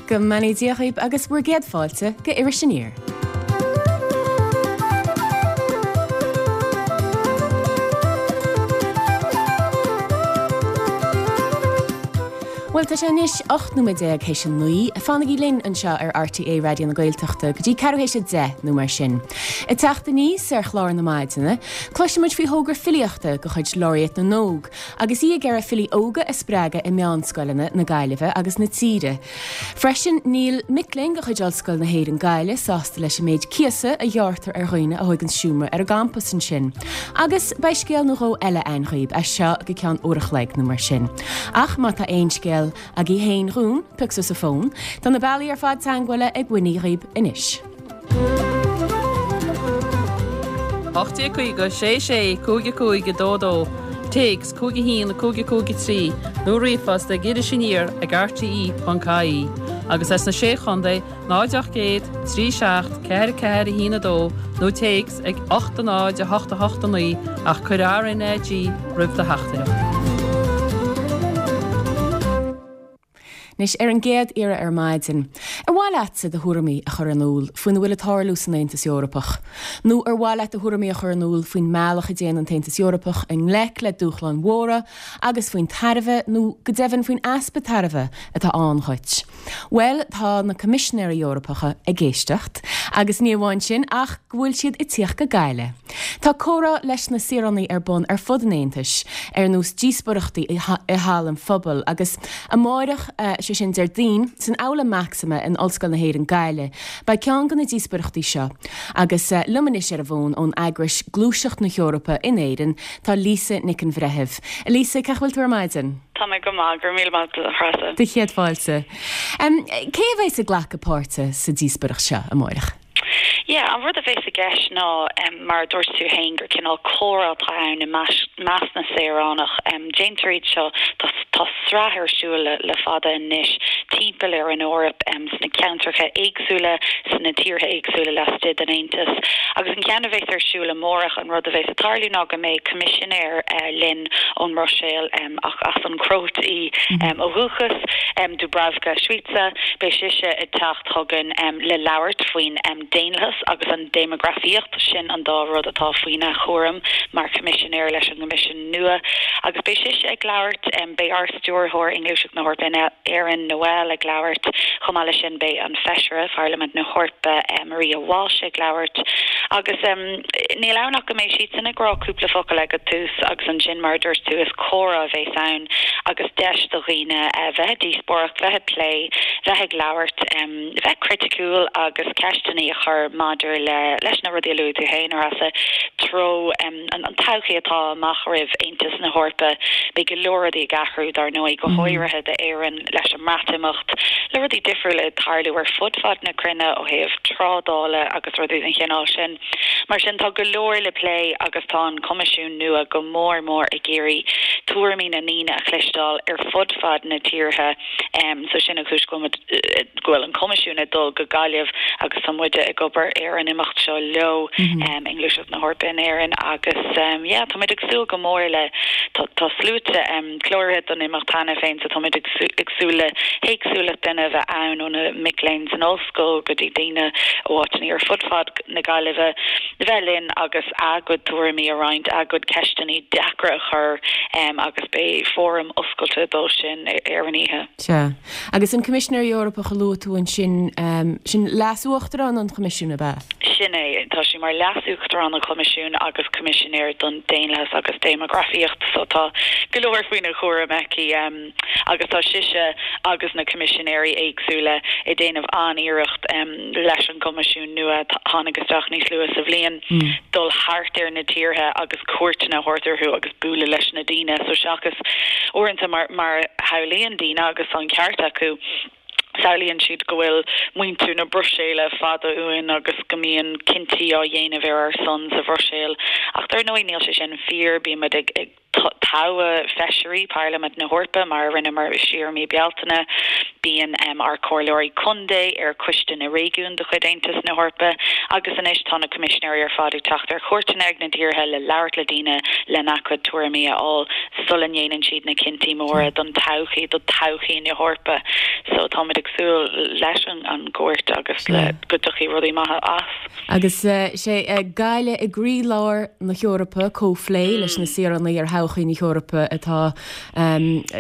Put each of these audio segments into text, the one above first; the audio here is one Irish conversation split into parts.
Go mbeannaí Dia dhaoib agus bhur gcéad fáilte go Iris Aniar. Bhuel, tá sé anois 18 nóiméad théis a 9. Fanaigí linn anseo ar RTÉ Raidió na Gaeltachta go dtí ceathrú théis a 10 nó mar sin. Ag teacht aníos ar chlár na maidine, cloisfimid faoi thogra filíochta de chuid Laureate na nÓg agus í ag iarraidh filí óga a spreagadh i meánscoileanna na Gaillimhe agus na tíre. Freisin, níl mic léinn de chuid Ollscoil na hÉireann Gaillimh sásta leis an méid cíosa a ghearrtar ar dhaoine a thóigeann seomra ar an gcampas ansin. Agus beidh scéal nó dhó eile a'inn dhaoib as seo go ceann uair a chloig nó mar sin. Ach má tá aon scéal agaibh féin dhúinn, pioc suas an fón. Tá na bealaí ar fad teagmhála ag Winnie dhaoib anois. 1850 6 6 5 5 2 2, Téacs 5 1 5 5 3 nó ríomhphost ag irisaniar ag rte.ie agus as na Sé Chontae 0 800 3 7 4 4 1 2 nó téacs ag 8 0 8 8 9 ach cuir RnaG roimh do theachtaireacht. Anois, ar an gcéad iarraidh ar maidin, ar mhaith leatsa do thuairimí a chur in iúl faoina bhfuil ag tarlú san Aontas Eorpach? Nó ar mhaith leat do thuairimí a chur in iúl faoin mbealach a dtéann an tAontas Eorpach i ngleic le dúshláin mhóra agus faoin tairbhe, nó go deimhin faoin easpa tairbhe, atá ann dhuit? Bhuel, tá na Coimisinéirí Eorpacha ag éisteacht, agus ní amháin sin ach go bhfuil siad ag tíocht go Gaillimh. Tá comhrá leis na saoránaigh ar bun ar fud an Aontais, ar nós díospóireachtaí i Halla an Phobail, agus amáireach, sé sin Déardaoin, san Aula Maxima in Ollscoil na hÉireann Gaillimh, beidh ceann de na díospóireachtaí seo. Agus liom anois ar an bhfón ón eagrais Gluaiseacht na hEorpa in Éirinn, tá Lisa Nic an Bhreithimh. A Lisa, cén chaoi a bhfuil tú ar maidin? Tá mé go maith, go raibh míle maith agat, a Threasa. Do chéad fáilte. Cé a bheas ag glacadh páirte sa díospóireacht seo amáireach? Yeah, an rud a bheas i gceist ná, mar a dúirt tú féin, gur cineál comhrá atá ann i measc na saoránach. Déantar iad seo, tá tá sraith ar siúl le le fada anois timpeall ar an Eoraip, sna ceantracha éagsúla, sna tíortha éagsúla laistigh den Aontas. Agus an ceann a bheas ar siúl amárach, an rud a bheas ag tarlú ná go mbeidh coimisinéir linn ón mBruiséil, ach as an Chróit í ó dhúchas, Dubravka Šuica. Beidh sise ag teacht chugainn le labhairt faoin daonlathas agus an déimeagrafaíocht, sin an dá rud atá faoina chúram mar Choimisinéir leis an gCoimisiún nua. Agus beidh sise ag labhairt, beidh ár Stiúrthóir i nGluaiseacht na hEorpa in Éirinn, Noel, ag labhairt, chomh maith leis sin beidh an Feisire Pharlaimint na hEorpa, Maria Walsh, ag labhairt. Agus níl ann ach go mbeidh siadsan ag rá cúpla focal ag an tús agus ansin, mar a dúirt tú, is comhrá a bheas ann agus deis do dhaoine bheith ag díospóireacht, bheith ag plé, bheith ag labhairt, bheith criticiúil agus ceisteanna a chur maidir le leis na rudaí a luaigh tú féin, a Threasa, treo an todhchaí atá amach roimh Aontas na hEorpa. Beidh go leor rudaí ag athrú, dar ndóigh, go háirithe d'Éirinn leis an mBreatimeacht, le rudaí difriúla ag tarlú ar fud fad na cruinne ó thaobh trádála agus rudaí den chineál sin. Mar sin, tá go leor le plé agus tá an Coimisiún nua go mór mór ag iarraidh tuairimí na ndaoine a chloisteáil ar fud fad na tíortha. So sin an chúis go bhfuil muid, go bhfuil an Coimisiún ag dul go Gaillimh agus tá muide ag obair ar an imeacht seo leo i nGluaiseacht na hEorpa in Éirinn agus yeah, tá muid ag súil go mór le, tá, tá sluaite cláraithe don imeacht cheana féin so tá muid ag ag súil le héagsúlacht daoine a bheith ann ó na mic léinn san ollscoil go dtí daoine ó áiteanna ar fud fad na Gaillimhe bheith linn agus a gcuid tuairimí a roinnt, a gcuid ceisteanna deacra a chur agus beidh fóram oscailte dó sin ar an oíche. Sea. Agus an Coimisinéir Eorpach a luaigh tú ansin, sin Leas-Uachtarán an Choimisiúin, ab ea? Sin é. Tá sí mar Leas-Uachtarán an Choimisiúin agus Coimisinéir don Daonlathas agus Déimeagrafaíocht so tá go leor faoina chúram aici. Agus tá sise agus na Coimisinéirí éagsúla ag déanamh an-iarracht leis an gCoimisiún nua a tháinig isteach níos luaithe sa bhliain dul thart ar na tíortha agus cuairteanna a thabhairt orthu agus bualadh leis na daoine. So seachas uaireanta mar mar a shamhlaíonn daoine agus tá an ceart acu, samhlaíonn siad go bhfuil muintir na Bruiséile fada uainn agus go mbíonn cinntí á dhéanamh ar ár son sa Bhruiséil. Ach dar ndóigh níl sé sin fíor, bíonn muid ag. Toghadh feisirí Parlaimint na hEorpa mar a rinneamar siar i mí Bealtaine. Bíonn ár comhairleoirí contae ar Choiste na Réigiún de chuid Aontas na hEorpa agus anois tá na coimisinéirí ar fad ag teacht ar chuairteanna ag na tíortha le labhairt le daoine lena gcuid tuairimí a fháil sula ndéanann siad na cinntí móra don todhchaí, do thodhchaí na hEorpa. So táimid ag súil leis an gcuairt agus le go dtiocfaidh rudaí maithe as. Agus sé Gaillimh i gcroílár na hEorpa, comhphlé leis na saoránaigh ar thodhchaí na hEorpa atá,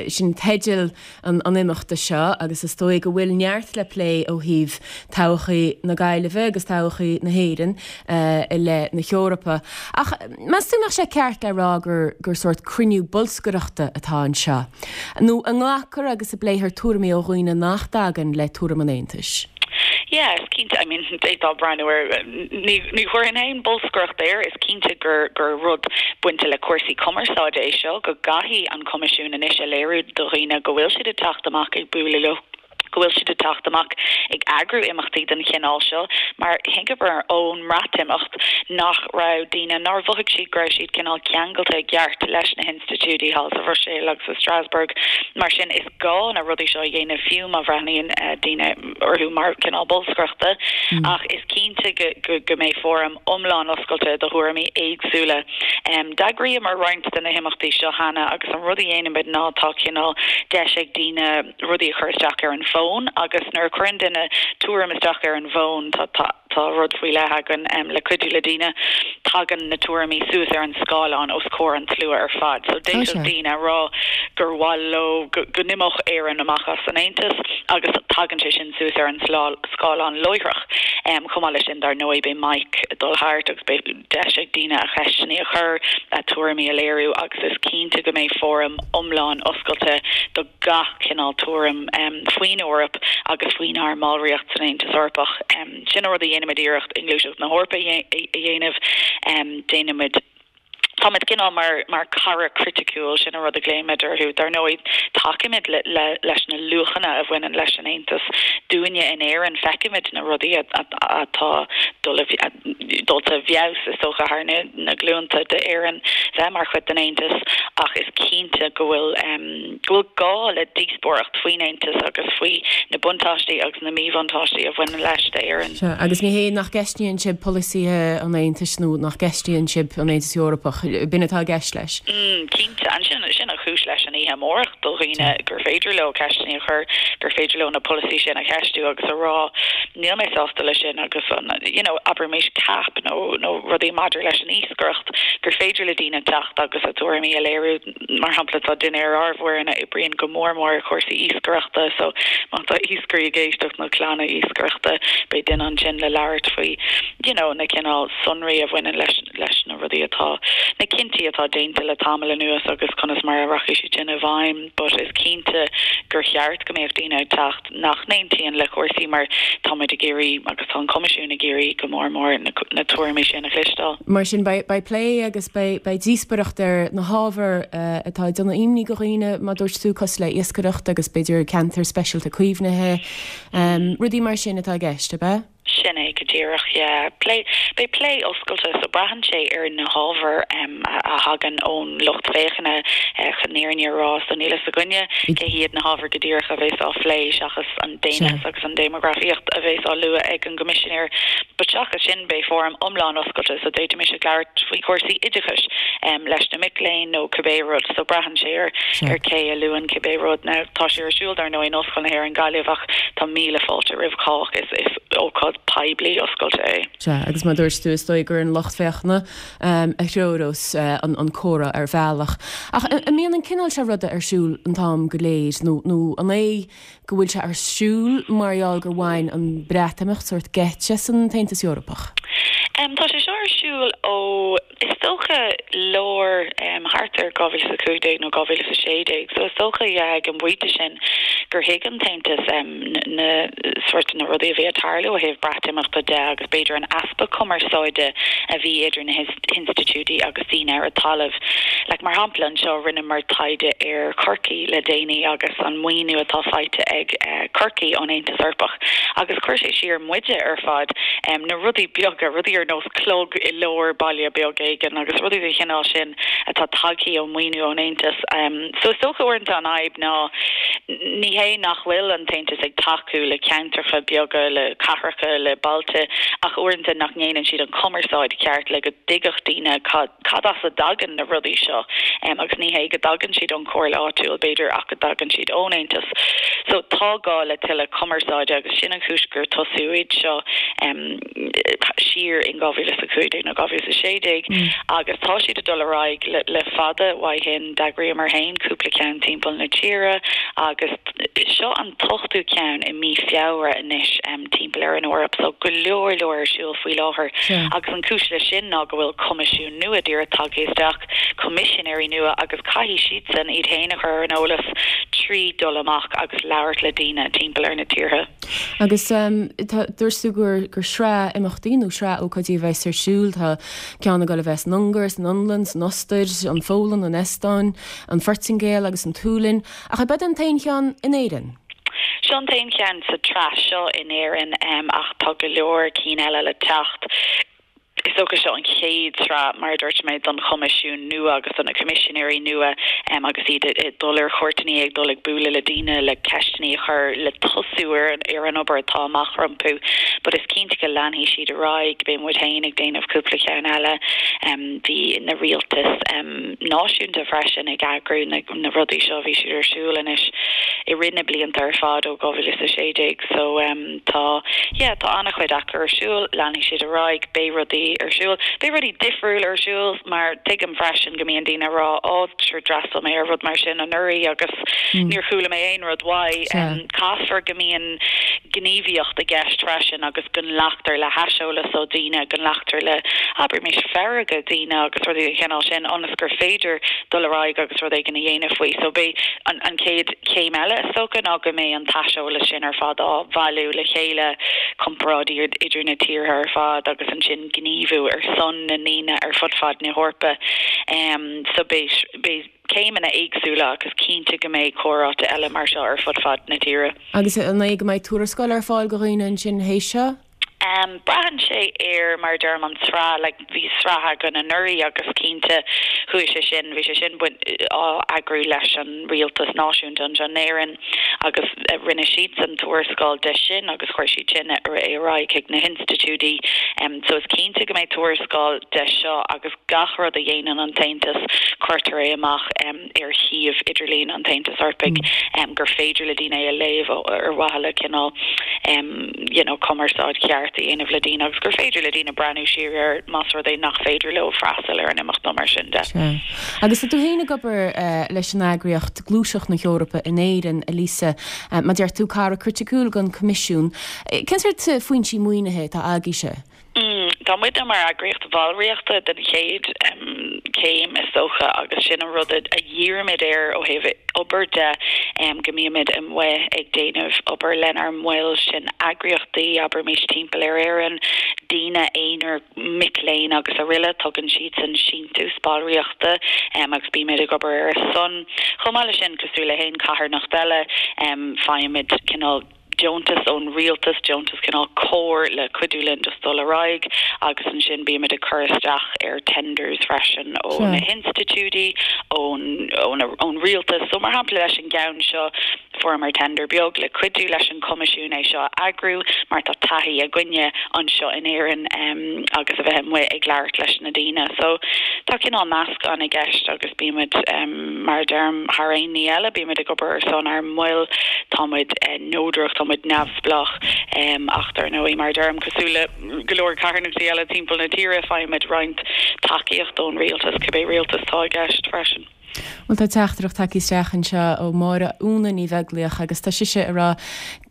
sin teideal an imeachta seo agus is dóigh go bhfuil neart le plé ó thaobh todhchaí na Gaillimhe agus todhchaí na hÉireann i leith na hEorpa. Ach meas tú an mbeadh sé ceart le rá gur gur sórt cruinniú bolscaireachta atá anseo? Nó an nglacfar agus an bpléifear tuairimí ó dhaoine nach dtagann le tuairim an Aontais? Yeah, is cinnte, I mean, d'fhéadfá breathnú air, ní, ní chuirfinn féin bolscaireacht air, is cinnte gur, gur rud bainte le cúrsaí cumarsáide é seo, go gcaithfidh an Coimisiún anois a léiriú do dhaoine go bhfuil siad ag teacht amach ag bualadh leo, go bhfuil siad ag teacht amach ag eagrú imeachtaí den chineál seo, mar thuigeamar ón mBreatimeacht nach raibh daoine, nár mhothaigh siad go raibh siad cineál ceangailte i gceart leis na hinstitiúidí thall sa Bhruiséil agus i Strasbourg. Mar sin, is gá na rudaí seo a dhéanamh fiú má bhreathnaíonn daoine orthu mar chineál bolscaireachta, ach is cinnte go mbeidh fóram iomlán oscailte do thuairimí éagsúla. D'eagraíomar roinnt de na himeachtaí seo cheana agus an rud a dhéanaimid ná tá cineál deis ag daoine rudaí a chur isteach ar an bhfón agus nuair a chuireann duine tuairim isteach ar an bhfón tá tá rud faoi leith againn le cuidiú le daoine, tagann na tuairimí suas ar an scáileán os comhair an tslua ar fad. So d'fhéadfadh daoine a rá gur mhaith leo go n-imeodh Éirinn amach as an Aontas agus tagann sé sin suas ar an scáileán láithreach. Chomh maith leis sin, dar ndóigh, beidh mic ag dul thart agus beidh deis ag daoine a cheisteanna a chur, a tuairimí a léiriú agus is cinnte go mbeidh fóram iomlán oscailte do gach cineál tuairim faoin Eoraip agus faoinár mballraíocht san Aontas Eorpach. Sin an rud a dhéanaimid iarracht i nGluaiseacht na hEorpa a dhéanamh. Déanaimid, táimid cineál mar mar cara criticiúil, sin an rud a ghlaoimid orthu. Dar ndóigh, tacaímid le leis na luachanna a bhaineann leis an Aontas. Dúinne in Éirinn, feicimid na rudaí atá dul i dulta i bhfeabhas, is dócha, thar na glúnta d'Éirinn bheith mar chuid den Aontas ach is cinnte go bhfuil. go bhfuil gá le díospóireacht faoin Aontas agus faoi na buntáistí agus na míbhuntáistí a bhaineann leis d'Éirinn. Sea, agus ní hé nach gceistíonn sibh polasaithe an Aontais nó nach gceistíonn sibh an Aontas Eorpach, b'in atá i gceist leis. Mm, cinnte. And sin, sin an chúis leis an oíche amárach, do dhaoine gur féidir leo ceisteanna a chur, gur féidir leo na polasaithe sin a cheistiú agus a rá níl mé sásta leis sin agus an, you know, abraimis CAP nó, nó rudaí maidir leis an iascaireacht, gur féidir le daoine teacht agus a dtuairimí a léiriú. Mar shampla, tá duine ar ár bhfoireann a oibríonn go mór mór ar chúrsaí iascaireachta, so má tá iascairí ag éisteacht nó clanna iascaireachta, beidh duine ansin le labhairt faoi you know na cineál sonraí a bhaineann leis leis na rudaí atá, na cinntí atá déanta le tamall anuas agus conas mar a rachaidh siad sin i bhfeidhm. But is cinnte gur cheart go mbeadh daoine ag teacht. nach n-aontaíonn le cúrsaí mar táimid ag iarraidh, agus tá an Coimisiún ag iarraidh go mór mór, na tuairimí sin a chloisteáil. Mar sin, beidh plé agus beidh díospoireacht ar na hábhair atá ag déanamh imní do dhaoine, mar a dúirt tú, cosúil le iascaireacht agus b'fhéidir ceantair speisialta caomhnaithe, rudaí mar sin atá i gceist, ab ea? Sin é go díreach, yeah. Plé, beidh plé oscailte so braitheann sé ar na hábhair a thagann ón lucht féachana chun an fhírinne a rá. So níl fhios againne cé hiad na hábhair go díreach a bheas á phlé seachas an daonlathas agus an déimeagrafaíocht a bheas á lua ag an gCoimisinéir. But seachas sin beidh fóram iomlán oscailte so d'fhéadfaimis ag labhairt faoi chúrsaí oideachais leis na mic léinn nó cibé rud. So braitheann sé ar ar cé a luann cibé rud. Now tá sé ar siúl dar ndóigh in Ollscoil na hÉireann Gaillimh ach Tá míle fáilte roimh chách, is ócáid poiblí oscailte é. Sea, agus mar a dúirt tú, is dóigh gur an lucht féachana a threorós an comhrá ar bhealach. Ach an mbíonn an cineál seo ruda ar siúl an t-am go léir, nó nó an é go bhfuil sé ar siúl mar gheall gur bhain an Breatimeacht sórt geit as an tAontas Eorpach? Tá sé seo ar siúl ó. Is dócha lár, thart ar 2015 nó 2016, so is dócha, yeah, ag an bpointe sin gur thuig an tAontas na sórt na rudaí a bhí ag tarlú ó thaobh Breatimeachta de agus b'fhéidir an easpa cumarsáide a bhí idir na hinstitiúidí agus daoine ar an talamh. Like, mar shampla, anseo rinneamar taighde ar Chorcaigh le déanaí agus an maoiniú atá faighte ag Corcaigh ón Aontas Eorpach agus chuir sé siar muide ar fad, na rudaí beaga, rudaí ar nós clog i. lár baile beag éigin agus rudaí den chineál sin atá tagthaí ó maoiniú ón Aontas. So is dócha uaireanta an fhadhb ná ní hé nach bhfuil an tAontas ag tacú le ceantracha beaga, le cathracha, le bailte ach uaireanta nach ndéanann siad an cumarsáid cheart le go dtuigfeadh daoine cad cad as a dtagann na rudaí seo agus ní hé go dtagann siad ón chomhairle áitiúil b'fhéidir ach go dtagann siad ón Aontas. So tá gá le tuilleadh cumarsáide agus sin an chúis gur tosaíodh iad seo siar in 2015 nó 2016 agus tá siad ag dul ar aghaidh le le fada uaidh shin. D'eagraíomar féin cúpla ceann timpeall na tíre agus seo an t-ochtú ceann i mí Feabhra anois timpeall ar an Eoraip so go leor leor ar siúl faoi láthair agus an cúis leis sin ná go bhfuil coimisiún nua díreach tagtha isteach, coimisinéirí nua agus caithfidh siadsan iad féin a chur ar an eolas trí dul amach agus labhairt le daoine timpeall ar na tíortha. Agus tá, dúirt tú gur gur sraith imeachtaí nó sraith ócáidí a bheas ar siúl. Tá ceann ag dul a bheith san Ungáir, san Fhionlainn, san Ostair, an Pholainn, an Eastóin, an Phortaingéil agus an tSualainn. Ach ab é an t-aon cheann in Éirinn? Seo an t-aon cheann sa tsraith seo in Éirinn ach tá go leor cinn eile le teacht. Is dócha seo an chéad sraith, mar a dúirt mé, don Choimisiún nua agus do na Coimisinéirí nua agus iad ag dul ar chuairteanna, ag dul ag bualadh le daoine le ceisteanna a chur, le tosú ar ar an obair atá amach rompu. But is cinnte go leanfaidh siad ar aghaidh. Beidh muid féin ag déanamh cúpla ceann eile. Bhí na rialtais náisiúnta freisin ag eagrú na rudaí seo, bhí siad ar siúl anois i rith na blianta ar fad ó 2016. So. Tá, yeah, tá an-chuid acu ar siúl, leanfaidh siad ar aghaidh, beidh rudaí ar siúl, beidh rudaí difriúil ar siúl mar tuigim freisin go mbíonn daoine ag rá oh sure d'fhreastail mé ar rud mar sin anuraidh agus níor chuala mé aon rud uaidh. Caithfear go mbíonn gníomhaíocht i gceist freisin agus go nglactar le haiseolas ó daoine, go nglactar le, abraimis, fearga daoine agus rudaí den chineál sin ionas gur féidir dul ar aghaidh agus rud éigin a dhéanamh faoi. So beidh an an chéad chéim eile is dócha ná go mbeidh an t-aiseolas sin ar fad á bhailiú le chéile, comparáidí idir na tíortha ar fad agus ansin gníomhú ar son na ndaoine ar fud fad na hEorpa. So beidh beidh céimeanna éagsúla agus cinnte go mbeidh comhráite eile mar seo ar fud fad na tíre. Agus an é go mbeidh tuarascáil ar fáil go dhaoine ansin théis seo? Braitheann sé ar, mar a deirim, an tsraith, like bhí sraith againn anuraidh agus cinnte chuaigh sé sin, bhí sé sin á eagrú leis an rialtas náisiúnta anseo in Éirinn agus rinne siadsan tuarascáil de sin agus chuir siad sin é ar aghaidh chuig na hinstitiúidí. So is cinnte go mbeidh tuarascáil de seo agus gach rud a dhéanann an tAontas cuirtear é amach. ar shuíomh idirlín an tAontais Eorpaigh gur féidir le daoine é a léamh ar mhaithe le cineál you know cumarsáid cheart a dhéanamh le daoine agus gur féidir le daoine breathnú siar air más rud é nach féidir leo freastal ar an imeacht nó mar sin de. Sea. Agus tá tú féin ag obair leis an eagraíocht Gluaiseacht na hEorpa in Éirinn, a Lisa. Mar a deir tú, cara criticiúil den Choimisiún. Cén sórt foinsí maoinithe atá agaibhse? Tá muidne mar eagraíocht bhallraíochta den chéad chéim is dócha agus sin an rud a dhírímid air ó thaobh obair de, go mbímid amuigh ag déanamh obair lenár mbaill, sin eagraíochtaí, abraimis timpeall ar Éirinn, daoine aonair, mic léinn agus aroile, tugann siadsan síntiús ballraíochta agus bímid ag obair ar a son. Chomh maith leis sin, cosúil le haon charthanacht eile, faighimid cineál. deontas ón rialtas, deontas cineál comhair le cuidiú linn just dul ar aghaidh agus ansin bímid ag cur isteach ar tenders freisin ó na hinstitiúidí, ón, ón rialtas. So mar shampla leis an gceann seo fuaireamar tender beag le cuidiú leis an Choimisiún é seo a eagrú mar tá taithí againne anseo in Éirinn agus a bheith amuigh ag labhairt leis na daoine. So tá cineál meascán i gceist agus bímid mar a deirim thar aon ní eile bímid ag obair ar son ár mbaill, tá muid neodrach, tá muid neamhspleách ach dar ndóigh, mar a deirim, cosúil le go leor carthanachtaí eile timpeall na tíre, faighimid roinnt tacaíocht ón rialtas, cibé rialtas atá i gceist freisin. Bhuel, tá teachtaireacht tagtha isteach anseo ó Máire Úna Ní Bheaglaoich agus tá sise ag rá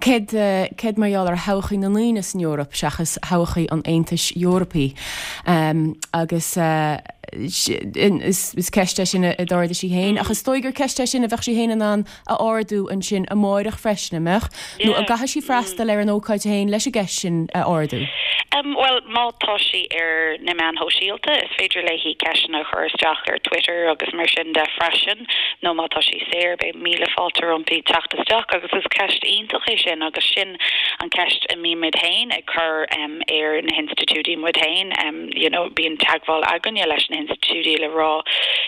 céard, céard mar gheall ar thodhchaí na ndaoine san Eoraip seachas thodhchaí an Aontais Eorpaigh agus is ceist é sin a d'ardaigh sí féin ach is dóigh gur ceist é sin a bheadh sí féin in ann a ardú ansin amáireach freisin, an mbeadh? Nó an gcaithfidh sí freastal ar an ócáid féin leis an gceist sin a ardú? Bhuel, má tá sí ar na meáin shóisialta, is féidir léi ceisteanna a chur isteach ar Twitter agus mar sin de freisin, nó má tá sí saor, beidh míle fáilte roimpi teacht isteach agus is ceist iontach é sin agus sin an ceist a mbímid féin ag cur ar na hinstitiúidí muid féin. You know, bíonn teagmháil againne leis na hinstitiúidí le rá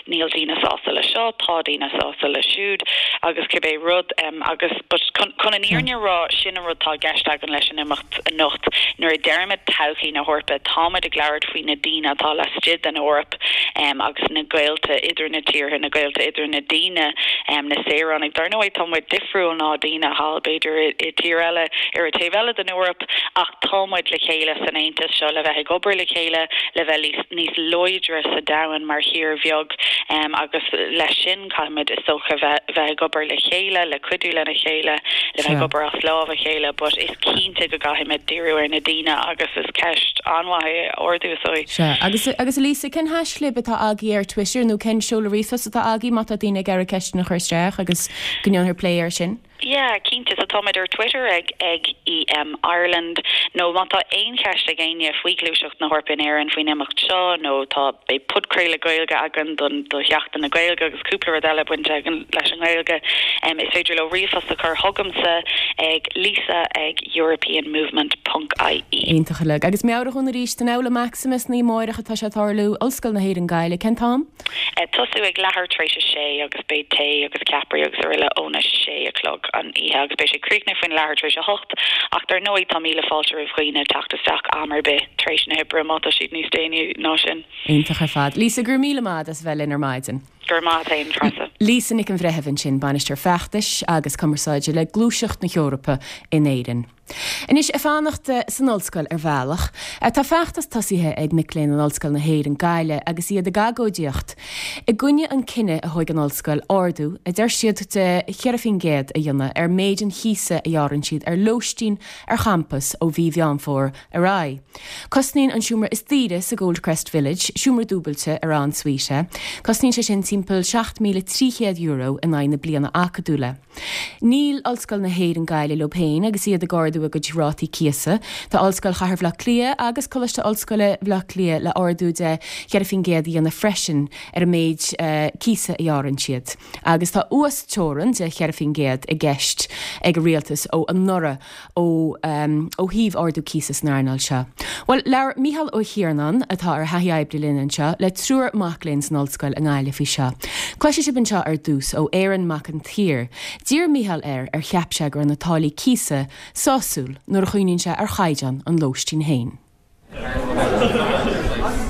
níl daoine sásta le seo, tá daoine sásta le siúd agus cibé rud agus but chun an fhírinne a rá, sin an rud atá i gceist againn leis an imeacht. anocht. Nuair a deirimid todhchaí na hEorpa, táimid ag labhairt faoi na daoine atá laistigh den Eoraip agus na gaolta idir na tíortha, na gaolta idir na daoine, na saoránaigh. Dar ndóigh, tá muid difriúil ná daoine thall, b'fhéidir, i tír eile ar an taobh eile den Eoraip, ach tá muid le chéile san Aontas seo le bheith ag obair le chéile, le bheith níos láidre sa domhan mar thír bheag agus leis sin, Caithfimid, is dócha, bheith ag obair le chéile, le cuidiú lena chéile, le bheith ag obair as lámh a chéile, but is cinnte go gcaithfimid díriú ar na daoine agus is ceist an-mhaith é a ardú, is dóigh. Sea. Agus, agus a Lisa, cén haischlib atá agaibh ar Twitter nó cén seoladh ríomhphost atá agaibh má tá daoine ag iarraidh ceisteanna a chur isteach agus go ndéanfar plé air sin? Yeah, cinnte. So táimid ar Twitter ag ag EM Ireland nó má tá aon cheist ag éinne faoi Ghluaiseacht na hEorpa in Éirinn faoin imeacht seo nó tá, beidh podchraoladh Gaeilge againn don do Sheachtain na Gaeilge agus cúpla rud eile bainte againn leis an nGaeilge, is féidir leo ríomhphost a chur chugamsa ag lisa ag europeanmovement ponc ie. Iontach uilig. Agus meabhraigh dúinn arís, san Aula Maxima san oíche amárach atá sé ag tarlú, Ollscoil na hÉireann Gaillimh, cén t-am? Tosú ag leathuair tar éis a sé agus beidh tae agus ceapairí agus araile óna sé a chlog an oíche agus beidh sé críochnaithe faoin leathuair tar éis a hocht ach dar ndóigh tá míle fáilte roimh dhaoine teacht isteach am ar bith tar éis na hoibre má tá siad níos déanaí ná sin. Iontach ar fad. Lisa, go raibh míle maith agat as a bheith linn ar maidin. Go raibh maith agat féin, Treasa. Lisa Nic an Bhreithimh ansin, Bainisteoir Feachtais agus Cumarsáide le Gluaiseacht na hEorpa in Éirinn. Anois, ag fanacht san ollscoil ar bhealach, tá feachtas tosaithe ag mic léinn in Ollscoil na hÉireann, Gaillimh agus iad ag agóidíocht i gcoinne an cinneadh a thóig an ollscoil ardú, a deir siad, de 4% a dhéanamh ar méid an chíosa a ghearrann siad ar lóistín ar champas ó mhí Mheán Fómhair ar aghaidh. Cosnaíonn an seomra is daoire sa Goldcrest Village, seomra dúbailte ar en suite é, cosnaíonn sé sin timpeall €7,300 in aghaidh na bliana acadúla. Níl Ollscoil na hÉireann Gaillimh leo féin agus iad ag ardú a gcuid rátaí cíosa. Tá Ollscoil Chathair Bhaile Átha Cliath agus Coláiste Ollscoile Bhaile Átha Cliath le ardú de 4% a dhéanamh freisin ar an méid cíosa a ghearrann siad. Agus tá uas-teorann de 4% i gceist ag an rialtas ó anuraidh. ó ó thaobh ardú cíosa san earnáil seo. Bhuel, labhair Mícheál Ó hIarnáin, atá ar thaithí oibre linn anseo, le triúr mac léinn san ollscoil i nGaillimh faoi seo. Cloisfidh sibh anseo ar dtús ó Aaron Mac an tSaoir. D'iarr Mícheál air ar cheap sé go raibh na táillí cíosa sásúil nuair a chuimhníonn sé ar chaighdeán an lóistín féin.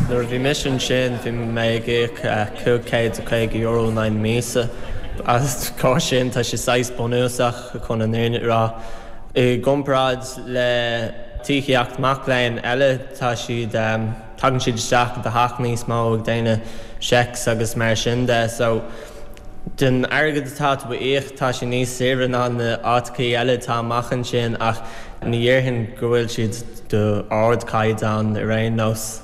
Nuair a bhí mise ansin bhí mé ag íoc €550 in aghaidh na míosa. As cás sin tá sé saghas bunúsach chun an fhírinne a rá. I gcomparáid le tithíocht mac léinn eile tá siad, tagann siad isteach i do theach níos mó ag déanamh checks agus mar sin de so don airgead atá tú a íoc tá sé níos saoire ná na áiteachaí eile atá amach ansin ach ní dhéarfainn go bhfuil siad d'ardchaighdeán ar aon nós.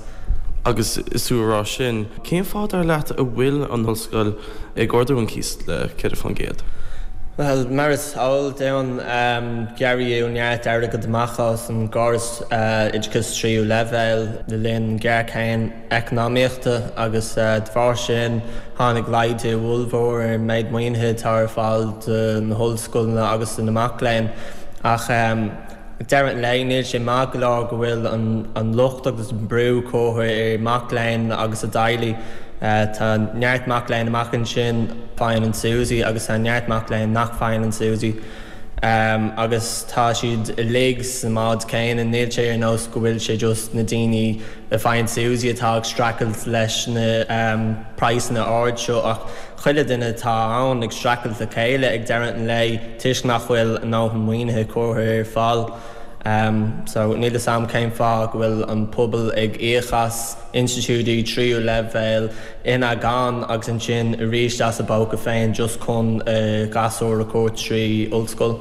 Agus is tú a rá sin, cén fáth dar leat a bhfuil an ollscoil ag ardú an cíos le 4%? Bhuel, mar is eol dúinn, gearradh neart airgead amach as an gcóras oideachais tríú leibhéal le linn géarchéim eacnamaíochta agus de bharr sin tháinig laghdú ollmhór ar an méid maoinithe atá ar fáil do na hollscoileanna agus do na mac léinn. Ach. Ag deireadh an lae, níl sé maith go leor go bhfuil an locht agus an brú curtha ar mac léinn agus a dteaghlaigh. Tá neart mac léinn amach ansin a faigheann an SUSI agus tá neart mac léinn nach faigheann an SUSI agus tá siad uilig sa mbád céanna. Níl sé ar nós go bhfuil sé just na daoine a faigheann SUSI atá ag streachailt leis na praghsanna ard seo ach chuile duine atá ann ag streachailt le chéile ag deireadh an lae toisc nach bhfuil a ndóthain maoinithe curtha ar fáil. So níl fhios a'm cén fáth go bhfuil an pobal ag íoc as institiúidí tríú leibhéal ina gann agus ansin arís as a bpóca féin just chun a ghasúr a chur trí ollscoil.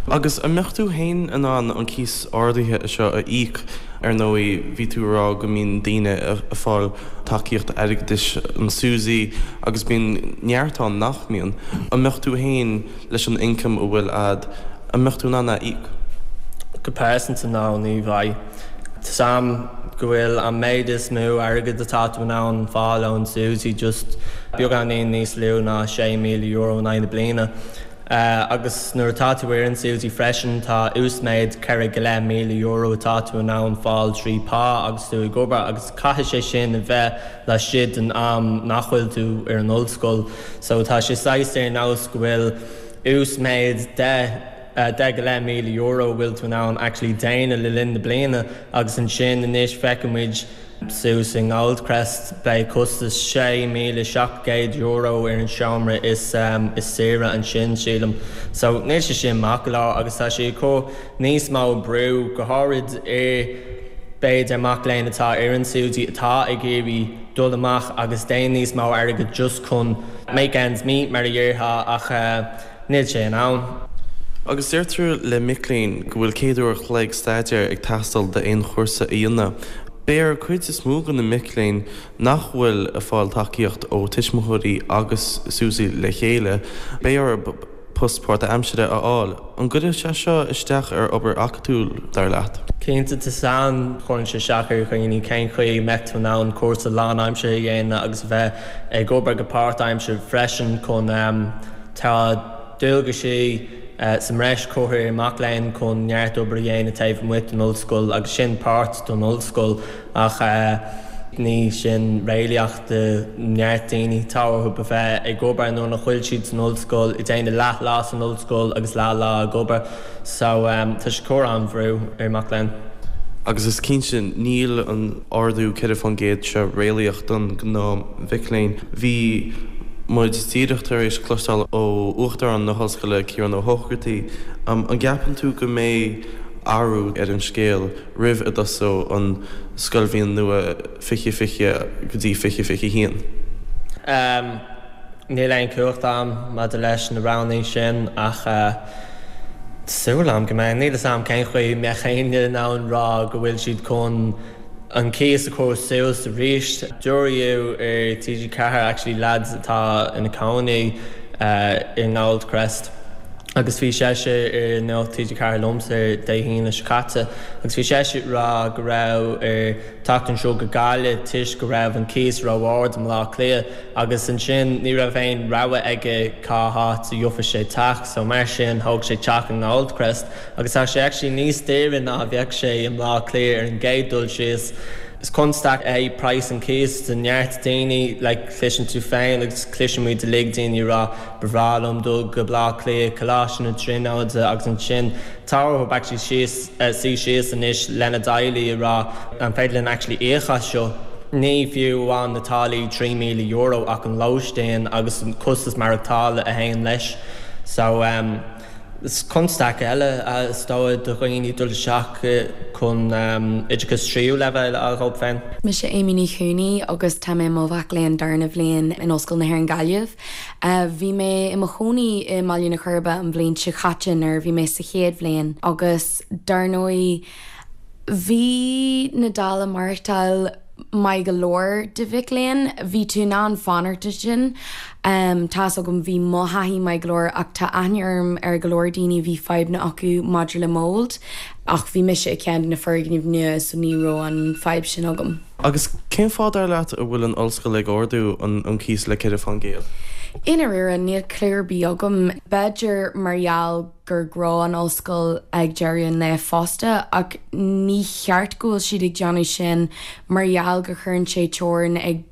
Agus an mbeadh tú féin in ann an cíos ardaithe seo a íoc? Ar ndóigh, bhí tú ag rá go mbíonn daoine ag fáil tacaíocht airgeadais, an SUSI, agus bíonn neart ann nach mbíonn. An mbeadh tú féin, leis an ioncam a bhfuil a'd, an mbeadh tú in ann é a íoc? Go pearsanta, no, ní bheidh. Tá's a'm go bhfuil an méid is mó airgead atá tú in ann fáil ón SUSI just beagáinín níos lú ná €6,000 in aghaidh na bliana. Agus nuair atá tú ar an SUSI freisin tá uasmhéid €4 go leith míle atá tú in ann fáil trí pá agus tú ag obair agus caithfidh sé sin a bheith laistigh den am nach bhfuil tú ar an ollscoil. So tá sé saghas ar nós go bhfuil uasmhéid €10 go leith míle a bhfuil tú in ann actually déanamh le linn na bliana agus ansin anois feicfidh muid Suas i nGoldcrest, beidh costas €6,700 ar an seomra is saoire ansin, sílim. So, níl sé sin maith go leor agus tá sé ag cur níos mó brú, go háirid ar, b'fhéidir, mac léinn atá ar an SUSI atá ag iarraidh dul amach agus déanamh níos mó airgid just chun make ends meet, mar a déarfá, ach. Níl sé in ann. Agus deirtear le mic léinn go bhfuil 100 uair a chloig staidéir ag teastáil d'aon chúrsa a dhéanamh. Beidh ar cuid is mó de na mic léinn nach bhfuil ag fáil tacaíocht ó tuismitheoirí agus SUSI le chéile, beidh orthu post páirtaimsire a fháil. An gcuirfidh sé seo isteach ar obair acadúil, dar leat? Cinnte, tá san, cuireann sé isteach ar dhaoine cén chaoi a mbeadh tú in ann cúrsa lánaimseartha a dhéanamh agus a bheith ag obair go páirtaimseartha freisin chun Tá dualgaisí sa mbreis curtha ar mac léinn chun neart obair a dhéanamh taobh amuigh den ollscoil agus sin páirt don ollscoil ach ní sin réalaíoch do neart daoine. Tá orthu a bheith ag obair nuair nach bhfuil siad san ollscoil, ag déanamh leath lá san ollscoil agus leath lá ag obair. So tá sé ag cur an-bhrú ar mac léinn. Agus is cinnte níl an ardú 4% seo réalaíoch don gnáth mhic léinn. Bhí muid díreach tar éis cloisteáil ó Uachtarán na hOllscoile, Ciarán Ó hÓchartaigh. An gceapann tú go mbeidh athrú ar an scéal roimh a dtosóidh an scoilbhliain nua 2020 go dtí 2021? Níl aon chumhacht a'm maidir leis na roghanna sin ach tá súil a'm go mbeidh. Níl 'fhios a'm cén chaoi a mbeadh éinne in ann rá go bhfuil siad chun an cíos a chur suas arís. Dúradh ar TG4 actually lads atá ina cónaí i nGoldcrest agus bhí seisean ar Nuacht TG4 liomsa ar Dé hAoine seo caite agus bhí seisean ag rá go raibh air teacht anseo go Gaillimh toisc go raibh an cíos ró-ard i mBleá Cliath agus ansin ní raibh aon rogha aige cá háit a gheobhadh sé teach so mar sin thóg sé teach i nGoldcrest Agus tá sé actually níos daoire ná a bheadh sé i mBleá Cliath ar an gcéad dul síos. Is constaic é praghas an cíos do neart daoine, like cloiseann tú féin agus cloiseann muid uilig daoine ag rá ba bhreá liom dul go Bleá Cliath, Coláiste na Tríonóide agus ansin tá orthu actually síos, suí síos anois lena dteaghlaigh ag rá an féidir linn actually íoc as seo. Ní fiú amháin na táillí €3,000 ach an lóistín agus an costas maireachtála a théann leis. So um. Is constaic eile is dóigh do dhaoine dul isteach chun oideachas tríú leibhéal a fháil dhóibh féin. Mise Amy Ní Chúnaí agus tá mé i mo mhac léinn darna bhliain in Ollscoil na hÉireann Gaillimh. Bhí mé i mo chónaí i mBaile na Coiribe an bhliain seo chaite nuair a bhí mé sa chéad bhliain agus dar ndóigh bhí na dálaí maireachtáil maith go leor do mhic léinn. Bhí tú in ann fanacht ansin. Tá's agam bhí mo thaithí maith go leor ach tá aithne orm ar go leor daoine a bhí fadhbanna acu maidir le mould ach bhí mise i ceann de na foirgnimh nua so ní raibh an fadhb sin agam. Agus cén fáth dar leat a bhfuil an ollscoil ag ardú an cíos le 4%? I ndáiríre níl cliú ar bith agam. B'fhéidir mar gheall gur gnó an ollscoil ag deireadh an lae fosta ach ní cheart go bhfuil siad ag déanamh sin mar gheall go chuireann sé teorainn ag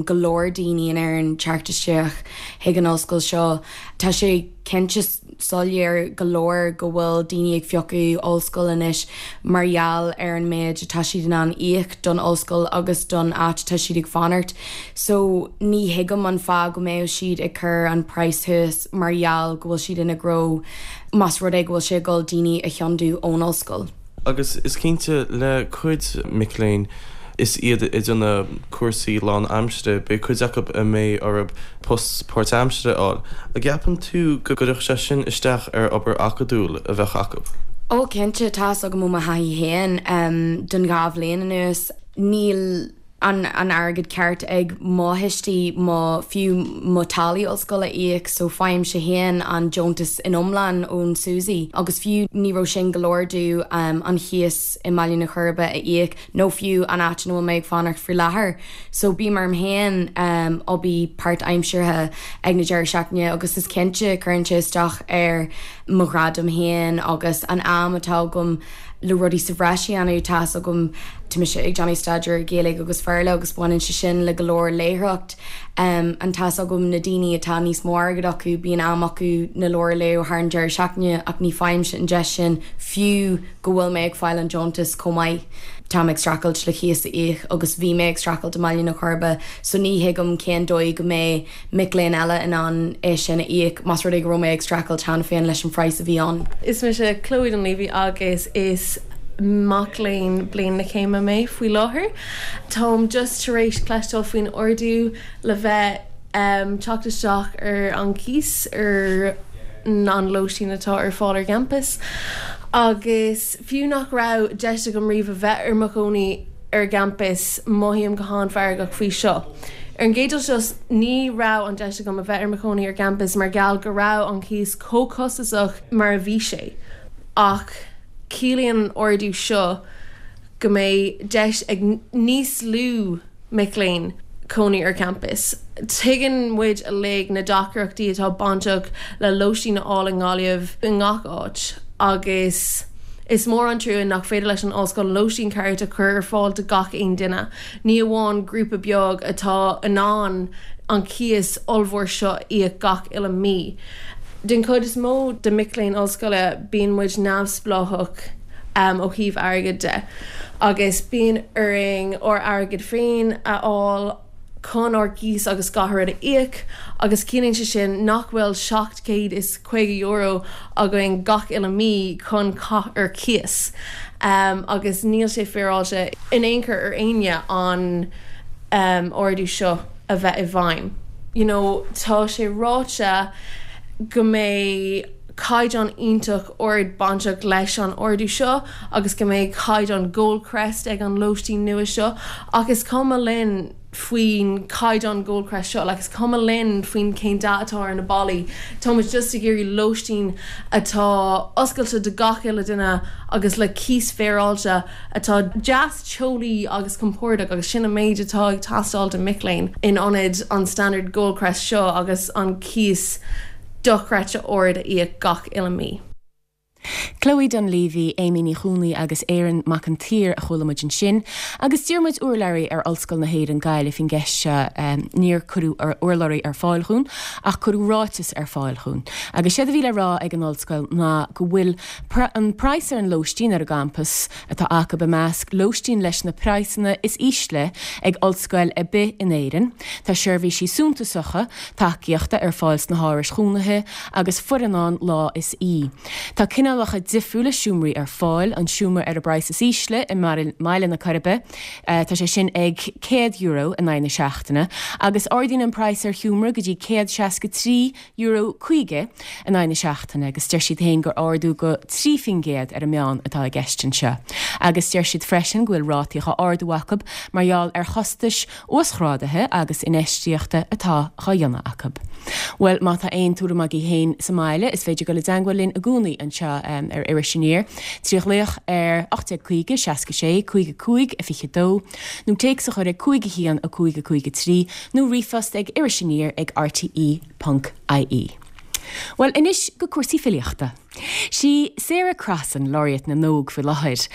go leor daoine in Éirinn teacht isteach chuig an ollscoil seo. Tá sé cinnte soiléir go leor go bhfuil daoine ag phiocadh ollscoil anois mar gheall ar an méid atá siad in ann íoc don ollscoil agus don áit atá siad ag fanacht. So ní thuigim an fáth go mbeadh siad ag cur an praghas thuas mar gheall go bhfuil siad ina ngnó más rud é go bhfuil sé ag dul daoine a thiontú ón ollscoil. Agus is cinnte le cuid mic léinn is iad ag déanamh cúrsaí lán-aimsire, beidh cuid acu a mbeidh orthu post páirtaimsire a fháil. An gceapann tú go gcuirfeadh sé sin isteach ar obair acadúil a bheadh acu? Ó cinnte, tá's agam ó mo thaithí féin don dhá bhliain anuas, níl. an an airgead ceart ag mo thuistí mo fiú mo táillí ollscoile a íoc so faighimse féin an deontas in iomlán ón SUSI agus fiú ní raibh sin go leor domh an chíos i mBaile na Coiribe a íoc nó fiú an áit ina bhfuil mé ag fanacht faoi láthair so bím orm féin obair páirtaimseartha ag na deireadh seachtaine agus is cinnte cuireann sé isteach ar mo ghradam féin agus an am atá agam le rudaí sa bhreis a dhéanamh. Tá's agam, tá mise ag déanamh staidéar ar Ghaeilge agus Bhéarla agus baineann sé sin le go leor léitheoireacht. And tá's agam na daoine atá níos mó airgid acu, bíonn am acu na leabhair a léamh thar an deireadh seachtaine ach ní faighimse an deis sin fiú go bhfuil mé ag fáil an deontas chomh maith. Táim ag streachailt le cíos a íoc agus bhí mé ag streachailt i mBaile na Coiribe so ní thuigim cén dóigh go mbeidh mic léinn eile in ann é sin a íoc, más rud é go raibh mé ag streachailt cheana féin leis an phraghas a bhí ann. Is mise Chloe Dunleavy agus is mac léinn bliain na céime mé faoi láthair. Táim just tar éis cloisteáil faoin ardú le bheith teacht isteach ar an gcíos ar an lóistín atá ar fáil ar gcampas agus fiú nach raibh deis agam riamh a bheith ar mo chónaí ar gcampas mothaím go han-fheargach faoi seo. Ar an gcéad dul síos, ní raibh an deis agam a bheith ar mo chónaí ar gcampas mar gheall go raibh an cíos chomh costasach mar a bhí sé. Ach ciallaíonn an ardú seo go mbeidh deis ag níos lú mic léinn cónaí ar champas. Tuigeann muid uilig na deacrachtaí atá bainteach le lóistín a fháil i nGaillimh i ngach áit agus is mór an trua nach féidir leis an ollscoil lóistín ceart a chur ar fáil do gach aon duine. Ní amháin grúpa beag atá in ann an cíos ollmhór seo a íoc gach uile mí. Den chuid is mó de mic léinn ollscoile bíonn muid neamhspleách ó thaobh airgid de agus bíonn orainn ár airgead féin a fháil chun ár gcíos agus gach rud a íoc agus ciallaíonn sé sin nach bhfuil €750 againn gach uile mí chun caitheamh ar cíos agus níl sé féaráilte in aon chor ar éinne an ardú seo a bheith i bhfeidhm. You know tá sé ráite go mbeidh caighdeán iontach ard bainteach leis an ardú seo agus go mbeidh caighdeán Goldcrest ag an lóistín nua seo ach is cuma linn faoin caighdeán Goldcrest seo, like is cuma linn faoin cén dath atá ar na ballaí, tá muid just ag iarraidh lóistín atá oscailte do gach uile duine agus le cíos féaráilte atá deas teolaí agus compordach agus sin an méid atá ag teastáil do mic léinn in ionad an standard Goldcrest seo agus an cíos dochreidte ard a íoc gach uile mí. Chloe Dunleavy, Amy Ní Chonlaí agus Aaron Mac an tSaoir a chuala muid ansin. Agus d'iarr muid urlabhraí ar Ollscoil na hÉireann Gaillimh faoin gceist seo. Níor cuireadh urlabhraí ar fáil dhúinn ach cuireadh ráiteas ar fáil dhúinn. Agus séard a bhí le rá ag an ollscoil ná go bhfuil an praghas ar an lóistín ar an gcampas atá acu i measc lóistín leis na praghsanna is ísle ag ollscoil ar bith in Éirinn. Tá seirbhísí suntasacha tacaíochta ar fáil sna hárais chónaithe agus foireann ann lá is oíche. Tá cineálacha difriúla seomraí ar fáil, an seomra ar an bpraghas is ísle i mBaile na Coiribe, tá sé sin ag €100 in aghaidh na seachtaine, agus ardaíonn an praghas ar sheomra go dtí €163. €50 in aghaidh na seachtaine agus deir siad féin gur ardú go 3% ar an meán atá i gceist anseo. Agus deir siad freisin go bhfuil rátaí á ardú acu mar gheall ar chostais uasghrádaithe agus infheistíochta atá dhá dhéanamh acu. Bhuel, má tá aon tuairim agaibh féin sa mbaile, is féidir dul i dteangmháil linn i gcónaí anseo ar Iris Aniar trí ghlaoch ar 1850 66 55 22 nó téacs a chur ag 5 1 5 5 3 nó ríomhphost ag irisaniar ag rte ponc ie. Bhuel, anois go cúrsaí filíochta. Sí Sarah Crossan Laureate na nÓg faoi láthair.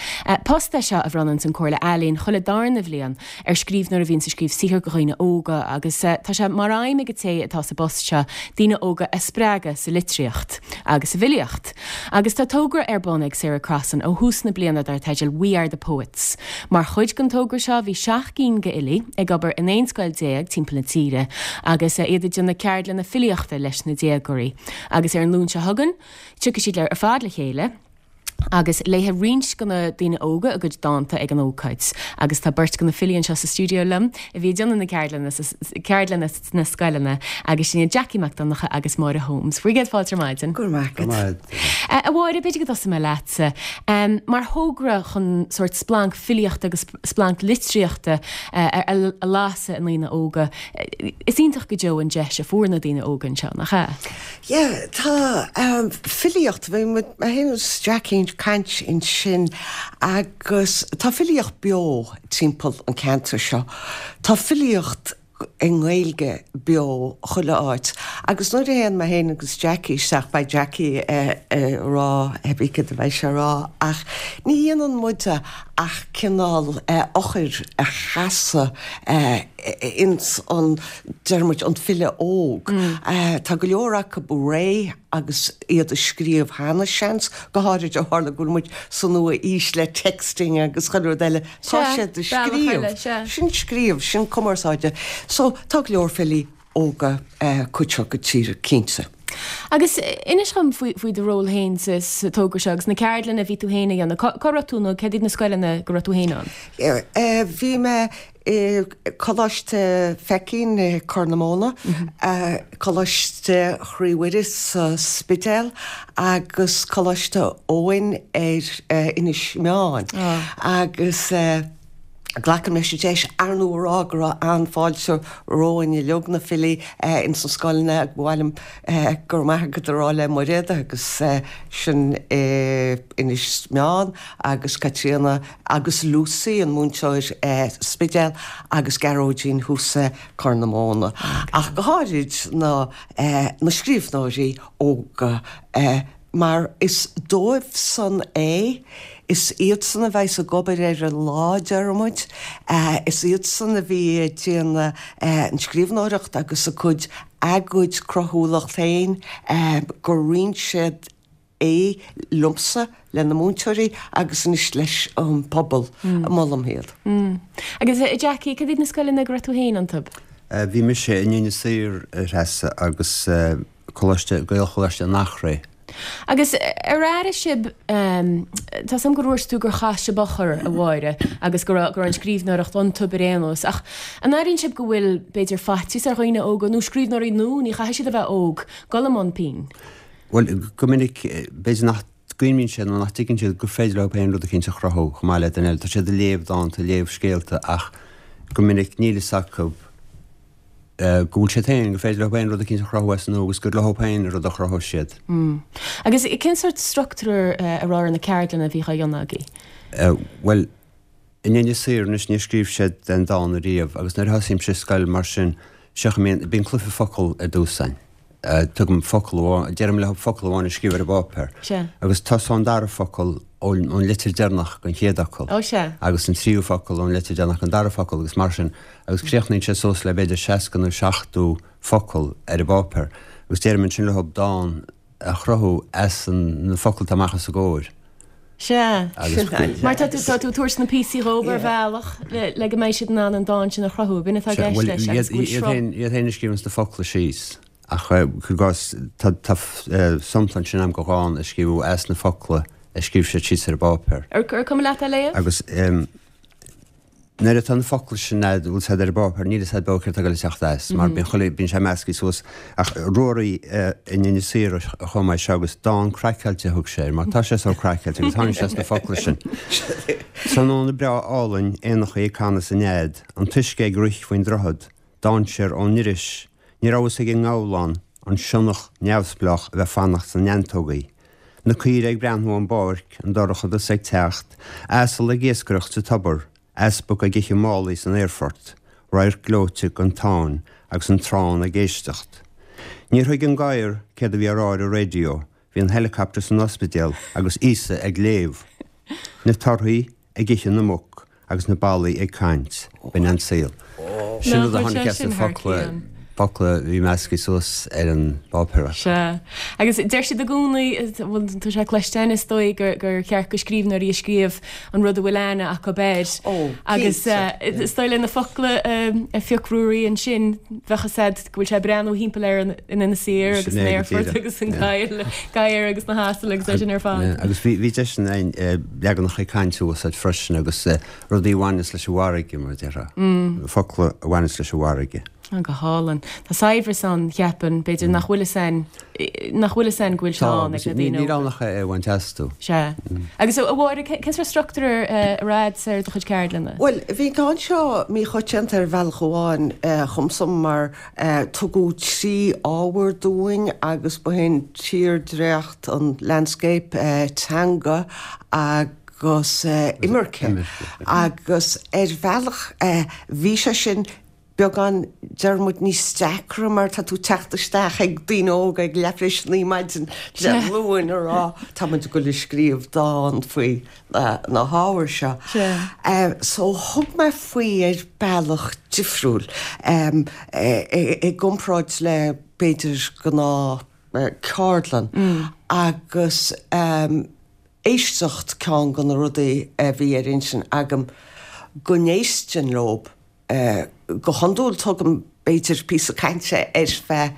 Post é seo a bhronnanns an Comhairle Ealaíon chuile darna bhliain ar scríbhneoir a bhíonns ag scríobh saothar do dhaoine óga agus tá sé mar aidhm ag an té atá sa bpost seo daoine óga a spreagadh sa litríocht agus sa bhfilíocht. Agus tá togra ar bun ag Sarah Crossan ó thús na bliana dar teideal We Are The Poets. Mar chuid den togra seo bhí seacht gcinn d'fhilí ag obair in 11 scoil timpeall na tíre agus iad ag déanamh ceardlanna filíochta leis na déagóirí. Agus ar an Luan seo chugainn tiocfaidh siad ar fad le chéile agus léifidh roinnt de na daoine óga a gcuid dánta ag an ócáid. Agus tá beirt de na filí anseo sa stiúideo liom a bhí ag déanamh na ceardlanna ceardlanna sna scoileanna agus sin iad Jackie Mac Donncha agus Máire Holmes. Bhur gcéad fáilte ar maidin. Go raibh maith agat. A Mháire, b'fhéidir go dtosóidh mé leatsa. Mar thogra chun sórt splanc filíochta agus splanc litríochta a lasadh i ndaoine óga, is iontach go deo an deis a fuair na daoine óga anseo, nach ea? Yeah, tá filíocht, bhí mé féin agus Jackie ag caint ansin agus tá filíocht beo timpeall an ceantar seo. Tá filíocht i nGaeilge beo chuile áit agus nuair a théann mé féin agus Jackie isteach, beidh Jackie ag rá cibé céard a bheidh sé a rá ach ní dhéanann muide ach cineál eochair a chasadh ins an, deir muid, an file óg. Tá go leor acu réidh agus iad ag scríobh cheana, seans, go háirid ó tharla go bhfuil muid sa nua-aois le texting agus chuile rud eile. Tá siad ag scríobh. Sin scríobh, sin cumarsáide. So, tá go leor filí óga cuid seo den tír, cinnte. Agus inis dhom faoi do ról féin sa togra seo agus na ceardlanna a bhí tú féin a dhéanamh. Cá raibh tú nó céard iad na scoileanna go raibh tú féin ann? Bhí mé i Coláiste Feichín i Corr na Móna, Coláiste Chroí Mhuire sa Spidéal agus Coláiste Eoin ar Inis Meáin. Agus glacaim leis an deis, ar ndóigh, a rá go raibh an-fháilte romhainn uilig, na filí ins na scoileanna agus ba mhaith liom go raibh maith agat a rá le Mairéad agus sin i Inis Meáin agus Caitríona agus Lucy, an múinteoir sa Spidéal, agus Gearóidín thuas i Corr na Móna, ach go háirid na na scríbhneoirí óga mar is dóibh san é, is iadsan a bheas ag obair ar an lá, deir muid, is iadsan a bhí ag déanamh an scríbhneoireacht agus a gcuid, a gcuid cruthúlacht féin, gur roinn siad é liomsa, le na múinteoirí agus anois leis an bpobal. Molaim iad. Agus a Jackie, cad iad na scoileanna go raibh tú féin iontu? Bhí mise in Inis Oírr, a Threasa, agus Coláiste, Gaelcholáiste an Eachréidh. Agus ar airigh sibh, tá 's agam gur dhúirt tú gur chas sibh eochair, a Mháire, agus go raibh, go raibh an scríbhneoireacht iontu ar aon nós, ach an airíonn sibh go bhfuil, b'fhéidir, faitíos ar dhaoine óga, nó scríbhneoirí nua, ní chaithfidh siad a bheith óg, dul i mbun pinn? Bhuel, go minic, b'fhéidir nach gcuimhníonn siad nó nach dtuigeann siad gur féidir leo féin rud eicínt a chruthú chomh maith le duine eile. Tá siad ag léamh dánta, ag léamh scéalta ach go minic níl fhios acu go bhfuil siad féin, gur féidir leo féin rud eicínt a chruthú as an nua agus gur leo féin an rud a chruthaigh siad. Agus cén sórt struchtúr a raibh ar na ceardlanna a bhí á dhéanamh agaibh? Bhuel, In Inis Oírr anois níor scríobh siad aon dán ariamh agus nuair a thosaímse i scoil mar sin seo a mbíonn, bíonn cluiche focal ar dtús againn. Tugaim focal amháin, deirim leo focal amháin a scríobh ar an bpáipéar. Sea. Agus tosaíonn an dara focal ón litir deireanach den chéad fhocal. Ó sea. Agus an tríú focal ón litir deireanach den dara focal agus mar sin agus críochnaíonn sé suas le b'fhéidir 60 nó 70 focal ar an bpáipéar agus deirim ansin leo dán a chruthú as na focail atá amach os a gcomhair. Sea. Mar tá tú tá tú ag tabhairt na píosaí dhóibh ar bhealach le go mbeidh siad in ann an dán sin a chruthú. B'in atá i gceist leis agus go bhfuil sruth. Iad féin a scríobhanns na focla síos ach cuir i gcás tá tá sampla ansin agam de dhán a scríobhadh as na focla a scríobh siad síos ar an bpáipéar. Ar cuma leat é a léamh? Agus Nuair atá na focla sin a'd, bhfuil 's a'd ar an bpáipéar, níl 'fhios a'd beo céard tá ag dul a theacht as, mar bíonn chuile, bíonn sé meascaí suas. Ach Ruairí in Inis Oírr a chum é seo agus dán craiceáilte a thug sé air, mar tá sé sórt craiceáilte agus tháinig sé as na focla sin. Tráthnóna breá álainn, éanachaí ag canadh sa nead, an t-uisce ag rith faoin droichead, dainséar ón iris, ní raibh fhios ag an ngabhlán, an sionnach neamhspleách a bheith fanacht sna neantógaí. Na caoire ag breathnú ón bpáirc, an dorchadas ag teacht, asal ag iascaireacht sa tobar, easpag ag ithe málaí san aerfort, radharc gleoite den Táin agus an trán ag éisteacht. Níor thuig an gadhar céard a bhí á rá ar an raidió, bhí an helicopter san ospidéal agus Íosa ag léamh. Na torthaí ag ithe na muc agus na ballaí ag caint. B'in an saol. Sin rud a tháinig as na focla, focla a bhí meascaí suas ar an bpáipéar acu. Sea. Agus deir siad i gcónaí, bhuel tá sé cloiste againn is dóigh, gur, gur cheart do scríbhneoirí a scríobh an rud a bhfuil aithne acu air. Ó, Agus cinnte. is dóigh le na focla a phioc Ruairí ansin, bheadh fhios a'd go bhfuil sé ag breathnú thimpeall air in Inis Oírr agus Sin san é go aerfort díreach. agus an gadhar agus na hasail agus é sin ar fad. Agus bhí bhí deis againn leaganacha cainte a úsáid freisin agus rudaí a bhaineas leis an bhfarraige, mar a déarfá. Focla a bhaineas leis an bhfarraige. Go hálainn. Tá saibhreas ann, cheapfainn, b'fhéidir nach bhfuil fhios a'inn, nach bhfuil fhios a'inn go bhfuil sé ann ag na daoine óga. Níl ann ach é a bhaint astu. Sea. Agus a Mháire, cén sórt struchtúr a raibh ar do chuid ceardlanna? Bhuel, bhí an ceann seo míchoitianta ar bhealach amháin dhomsa mar tugadh 3 ábhar dúinn agus ba shin tírdhreach, an landscape, teanga agus imirce. Agus ar bhealach bhí sé sin beagán, deir muid, níos deacra mar tá tú ag teacht isteach ag daoine óga ag leathuair tar éis a naoi maidin Dé Luain a rá tá muid ag dul a scríobh dán faoi na hábhair seo. So thug mé faoi ar bealach difriúil i gcomparáid le b'fhéidir gnáth ceardlann agus éisteacht ceann de na rudaí a bhí ar intinn agam go n-éistfinn leob. Go hiondúil tugaim b'fhéidir píosa cainte ar feadh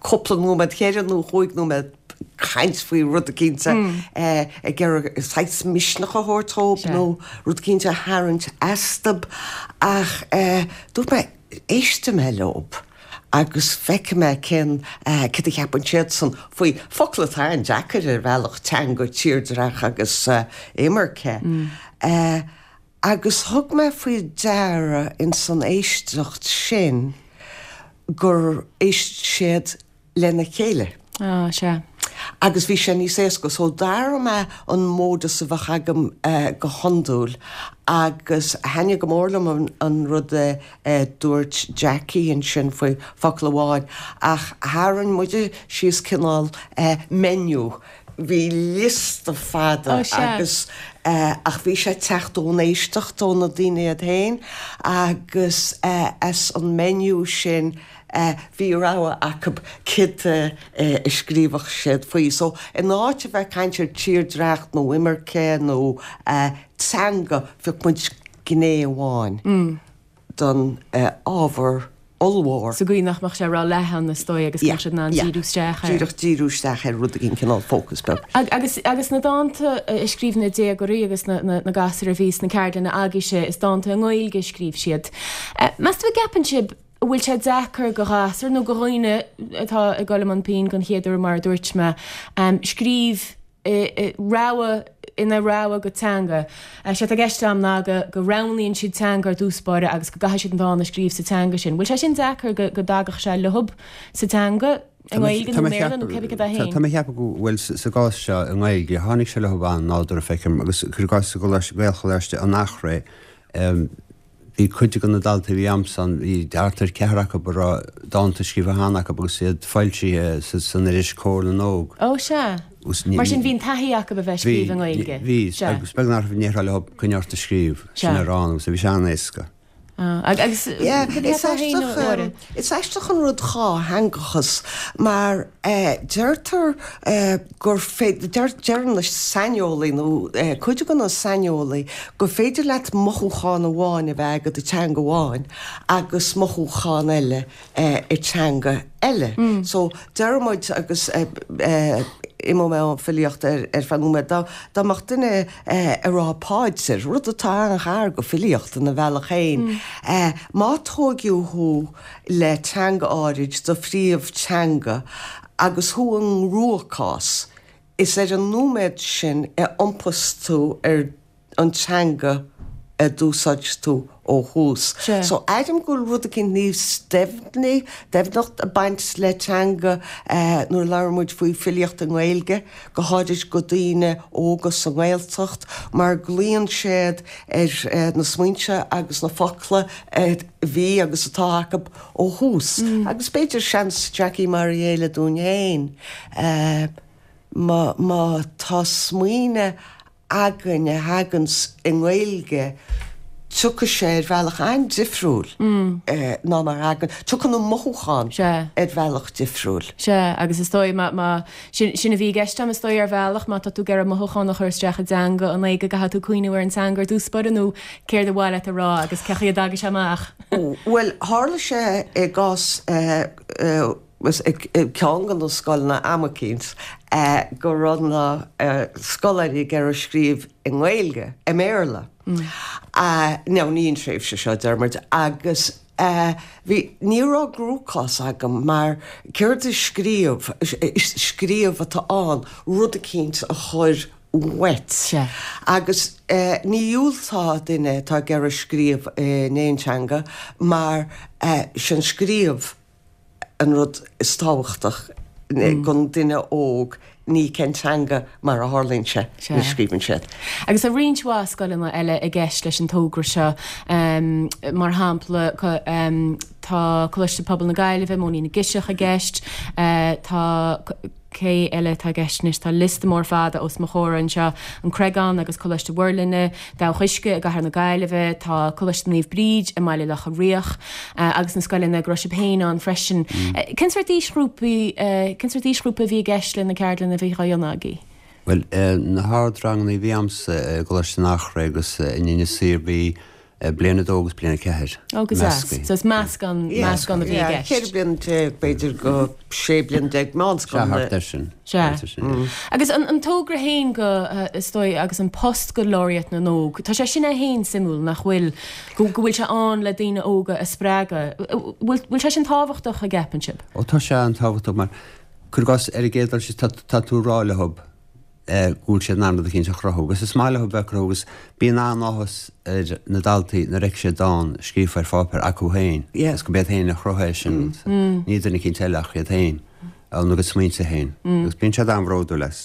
cúpla nóiméad, cheithre nó chúig nóiméad caint faoi rud eicínt ag iarraidh saghas misneach a thabhairt dhób nó rud eicínt a tharraingt astub ach dúirt mé éistfidh mé leob agus feicfidh mé cén céard a cheapann siadsan faoi focail atá an-deacair ar bhealach, teanga, tírdhreach agus imirce. Agus thug mé faoi deara ins an éisteacht sin gur éist siad lena chéile. Ah, sea. Agus bhí sé níos éasca. So d'athraigh mé an modus a bheadh agam go hiondúil agus thaitnigh go mór liom an rud a dúirt Jackie ansin faoi focal amháin ach tharraing muide síos cineál menu Bhí liosta fada agus ach bhí sé ag teacht ón éisteacht ó na daoine iad féin agus as an menu sin bhí rogha acu céard a scríobhadh siad faoi. So in áit a bheith ag caint ar tírdhreach nó imirce nó teanga phioc muid gné amháin. don ábhar ollmhór. Sa gcaoi nach mbeadh sé ró-leathan, is dóigh, agus go mbeadh siad in ann díriú isteach air. Díreach díriú isteach ar rud éigin, cineál focus beag. Agus agus na dánta a scríobh na déagóirí agus na na gasúir a bhí sna ceardlanna agaibhse, is dánta i nGaeilge a scríobh siad. Meas tú an gceapann sibh an bhfuil sé deacair go ghasúir nó go dhaoine atá ag dul i mbun pinn don chéad uair mar a dúirt mé, scríobh rogha ina rogha go teanga. Sé atá i gceist agam ná go go roghnaíonn siad teanga ar dtús báire agus go gcaithfidh siad an dán a scríobh sa teanga sin. Bhfuil sé sin deacair go go dtagadh sé leob sa teanga, i nGaeilge nó i mBéarla nó cébí cad é féin? Tá mé ag ceapadh go bhfuil sa gcás seo i nGaeilge, tháinig sé leob an-nádúrtha feicim agus cuir i gcás sa Ghaelcholáiste an Eachréidh, Bhí cuid de na daltaí a bhí a'msa ann, bhí thart ar cheathrar acu a raibh dánta scríofa cheana acu agus iad foilsithe san iris Comhar na nÓg. Ó, sea. Mar sin bhí an taithí acu a bheith ag scríobh i nGaeilge. Bhí, bhí. Agus beag nach raibh ní raibh leo coinne ort a scríobh, sin ar an, agus bhí sé an-éasca. Agus cad é atá féin, a Mháire? Is aisteach an rud dhátheangachas mar deirtear gur féidir, deir na saineolaí nó cuid de na saineolaí gur féidir leat mothúchán amháin a bheith agat i teanga amháin agus mothúchán eile i teanga eile. So deir muid agus imeoidh mé ón filíocht ar feadh nóiméad, dá mbeadh duine ag rá paidir, rud atá an-ghar go filíocht ina bhealach féin, má tóigeadh thú le teanga áirid, do phríomh-teanga, agus thú i gcruachás, is ar an nóiméad sin a iompós tú ar an teanga a d'úsáid tú ó thús. So, airím go bhfuil rud eicínt níos doimhne, doimhneacht ag baint le teanga nuair a labhrann muid faoi filíocht i nGaeilge, go háirid go daoine óga sa nGaeltacht, mar glaonn siad ar na smaointe agus na focla a bhí agus atá acu ó thús. Agus b'fhéidir seans, Jackie, mar a chéile dúinn féin, má má tá smaoineamh againn a thaganns i nGaeilge, tiocfaidh sé ar bhealach an-difriúil ná mar a thagann, tiocfaidh na mothúcháin ar bhealach difriúil. Sea, agus is dóigh má, má, sin, sin a bhí i gceist agam is dóigh ar bhealach, má tá tú ag iarraidh mothúchán a chur isteach i dteanga, an é go gcaithfidh tú cuimhniú ar an teanga ar dtús báire nó céard ar mhaith leat a rá agus cé chaoi a dtagann sé amach? Bhuel, tharla sé i gcás ceann de na scoileanna am eicínt go raibh na scoláirí ag iarraidh scríobh i nGaeilge, i mBéarla. Now, ní an tréimhse seo, deir muid, agus. Bhí, ní raibh gcruachás agam mar céard is scríobh, is scríobh atá ann, rud eicínt a chur uait. Sea. Agus ní dhiúltódh duine atá ag iarraidh scríobh in aon teanga mar sin scríobh an rud is tábhachtach don duine óg, ní cén teanga mar a tharlaíonn sé nuair a scríobhann siad. Agus tá roinnt mhaith scoileanna eile i gceist leis an togra seo, mar shampla tá Coláiste Pobail na Gaillimhe, Móinín na gCiseach i gceist, tá. Cé eile atá i gceist anois? Tá liosta mór fada os mo chomhair anseo, An Creagán agus Coláiste Mhuirlinne, Dabhach Uisce i gCathair na Gaillimhe, tá Coláiste Naomh Bríd i mBaile Locha Riach agus na scoileanna go raibh sibh féin ann freisin. Cén sórt aoisghrúpaí, cén sórt aoisghrúpa a bhí i gceist le na ceardlanna a bhí á dhéanamh agaibh? Bhuel, na hardranganna a bhí a'msa i gColáiste an Eachréidh agus in Inis Oírr bhí Bliain 2 agus bliain 4. Ó, go deas. So is meascán, meascán a bhí i gceist. Yeah, 14 bliain b'fhéidir go 16 bliain meánscoil. Sea, thart air sin. Sea. Thart air sin, yeah. Agus an, an togra féin go, is dóigh, agus an post go Laureate na nÓg, tá sé sin é féin suimiúil, nach bhfuil? Go, go bhfuil sé ann le daoine óga a spreagadh. Bhfuil, bhfuil sé sin tábhachtach, an gceapann sibh? Ó, tá sé an-tábhachtach mar, cuir i gcás, ar an gcéad dul síos, tá, tá tú ag rá leo, go bhfuil siad in ann rud eicínt a chruthú agus is maith leo bheith ag cruthú agus bíonn an-áthas ar na daltaí nuair a fheiceann siad dán scríofa ar pháipéar acu féin agus gurb iad féin a chruthaigh é sin, ní duine eicínt eile ach iad féin, óna gcuid smaointe féin agus bíonn siad an-bhródúil as.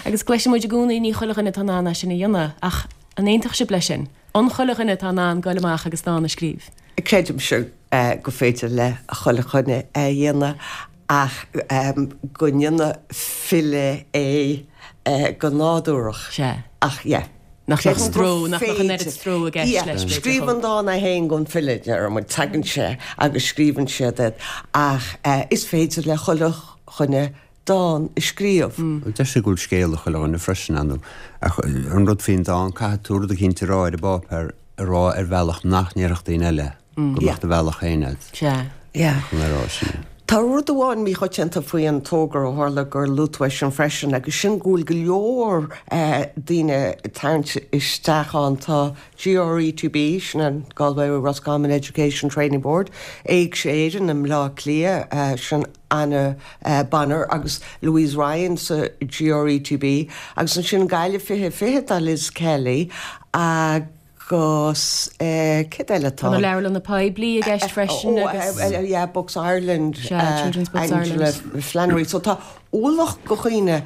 Agus cloiseann muid i gcónaí ní chuile dhuine atá in ann é sin a dhéanamh ach an aontódh sibh leis sin? An chuile dhuine atá in ann goil amach agus dán a scríobh? Creidimse gur féidir le chuile dhuine é a dhéanamh ach go ndéanadh file é go nádúrach. Sea. Ach yeah. Nach mbeadh stró, nach mbeadh an oiread stró i gceist leis, b'fhéidir. Scríobh an dán é féin don file, deir muid, tagann sé agus scríobhann siad é ach is féidir le chuile dhuine dán a scríobh. Deir siad go bhfuil scéal ag chuile dhuine freisin, ar ndóigh. Ach an rud faoin dán, caithfidh tú rud eicínt a rá ar an bpáipéar a rá ar bhealach nach ndéarfadh daoine eile. Go mbeadh do bhealach féin agat. Sea. Yeah. Chun a rá sin. Tá rud amháin míchoitianta faoi an togra ó tharla gur luaigh tú é sin freisin agus sin go bhfuil go leor daoine ag tarraingt isteach ann. Tá GRETB, sin an Galway Roscommon Education Training Board, Éigse Éireann i mBleá Cliath, sin Anna Bonner agus Louise Ryan sa GRETB agus ansin Gaillimh 2020 tá Liz Kelly agus Agus céard eile atá? Tá na leabharlanna poiblí i gceist freisin agus. Ó, yeah, Books Ireland, Sea, Children's Books Ireland. Angela Flannery. So tá ualach de dhaoine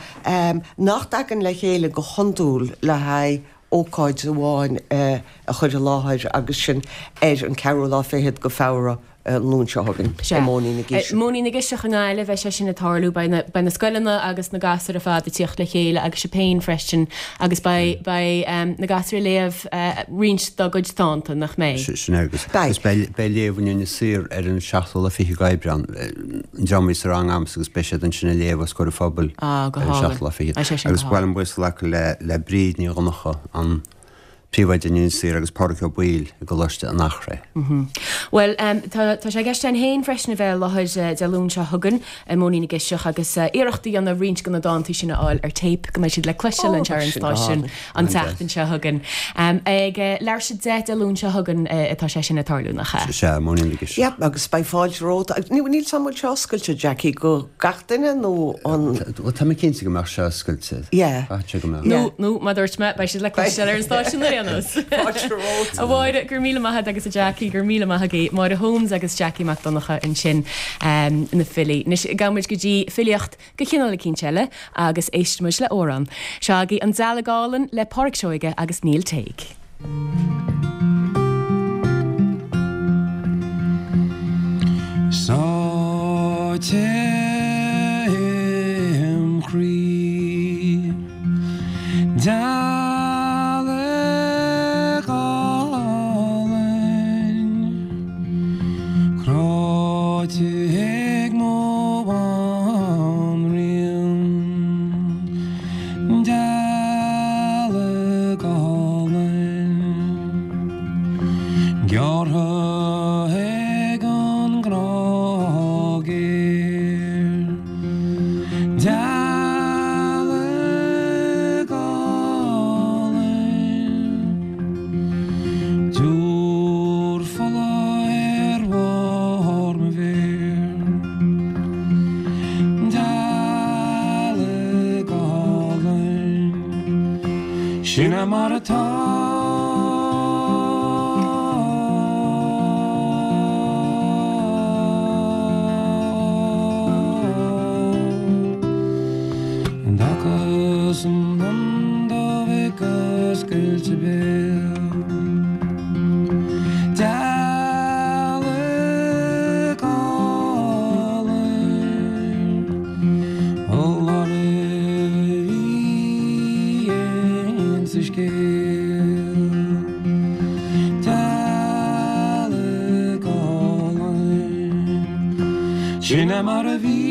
nach dtagann le chéile go hiondúil le haghaidh ócáid amháin a chur i láthair agus sin ar an ceathrú lá fichead de Feabhra. an Luan seo chugainn Sea. i Móinín na gCiseach. Móinín na gCiseach i nGaillimh, beidh sé sin ag tarlú. Beidh na, beidh na scoileanna agus na gasúir ar fad ag tíocht le chéile agus sibh féin freisin agus beidh, beidh na gasúir ag léamh roinnt dá gcuid dánta, nach mbeidh? Sin é agus, Beidh. agus beidh, beidh léamh in Inis Oírr ar an seachtú lá fichead d'Aibreán, an dream a bhí sa rang a'msa agus beidh siad ansin ag léamh os comhair an phobail Ah, go ar an hálainn. seachtú lá fichead. Beidh sé sin Agus go ba mhaith hálainn. liom buíochas a ghlacadh le, le Bríd Ní Dhonncha, an Príomhoide in Inis Oírr agus Pádraig Ó Baoill i gColáiste an Eachréidh. Bhuel, tá sé i gceist againn féin freisin a bheith i láthair Dé Luain seo chugainn i Móinín na gCiseach agus iarracht a dhéanamh roinnt de na dántaí sin a fháil ar téip go mbeidh siad le cloisteáil anseo ar an stáisiún an tseachtain seo chugainn. Ag leathuair tar éis 10 Dé Luain seo chugainn atá sé sin ag tarlú, nach ea? Sea, Móinín na gCiseach. Yep, agus beidh fáilte romhat. Níl 's a'm an bhfuil sé oscailte, Jackie, go gach duine nó an. Bhuel, tá mé cinnte go mbeadh sé oscailte. Yeah. Caithfidh sé go mbeadh. Nó, nó, mar a dúirt mé, beidh siad le cloisteáil ar an stáisiún ar aon nós. Fáilte romhat. A Mháire, go raibh míle maith agat agus a Jackie, go raibh míle maith agaibh. Máire Holmes agus Jackie Mac Donncha ansin, na filí. Anois, gabhfaidh muid go dtí filíocht de chineál eicínt eile agus éistfidh muid le amhrán. Seo agaibh An Dealg Álainn le Pádraic Seoige agus Neil Tague. Sáite im chroí. Dealg álainn cráite ag mo bhanríon. Dealg álainn gearrtha ag an ngrá géar. Dealg álainn. Sin é mar atá. D'fhágas an lon dubh ag oscailt a béil. Dealg álainn foláireamh a bhí insa scéal. Dealg álainn, sin é mar a bhí.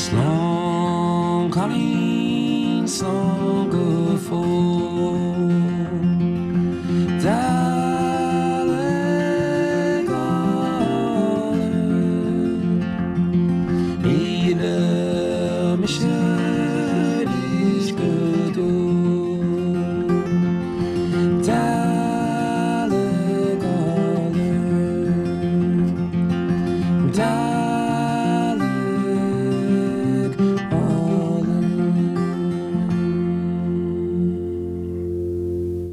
Slán cailín, slán go fóill. Dealg álainn, ní fhillfidh mise arís go deo. Dealg álainn, dealg álainn.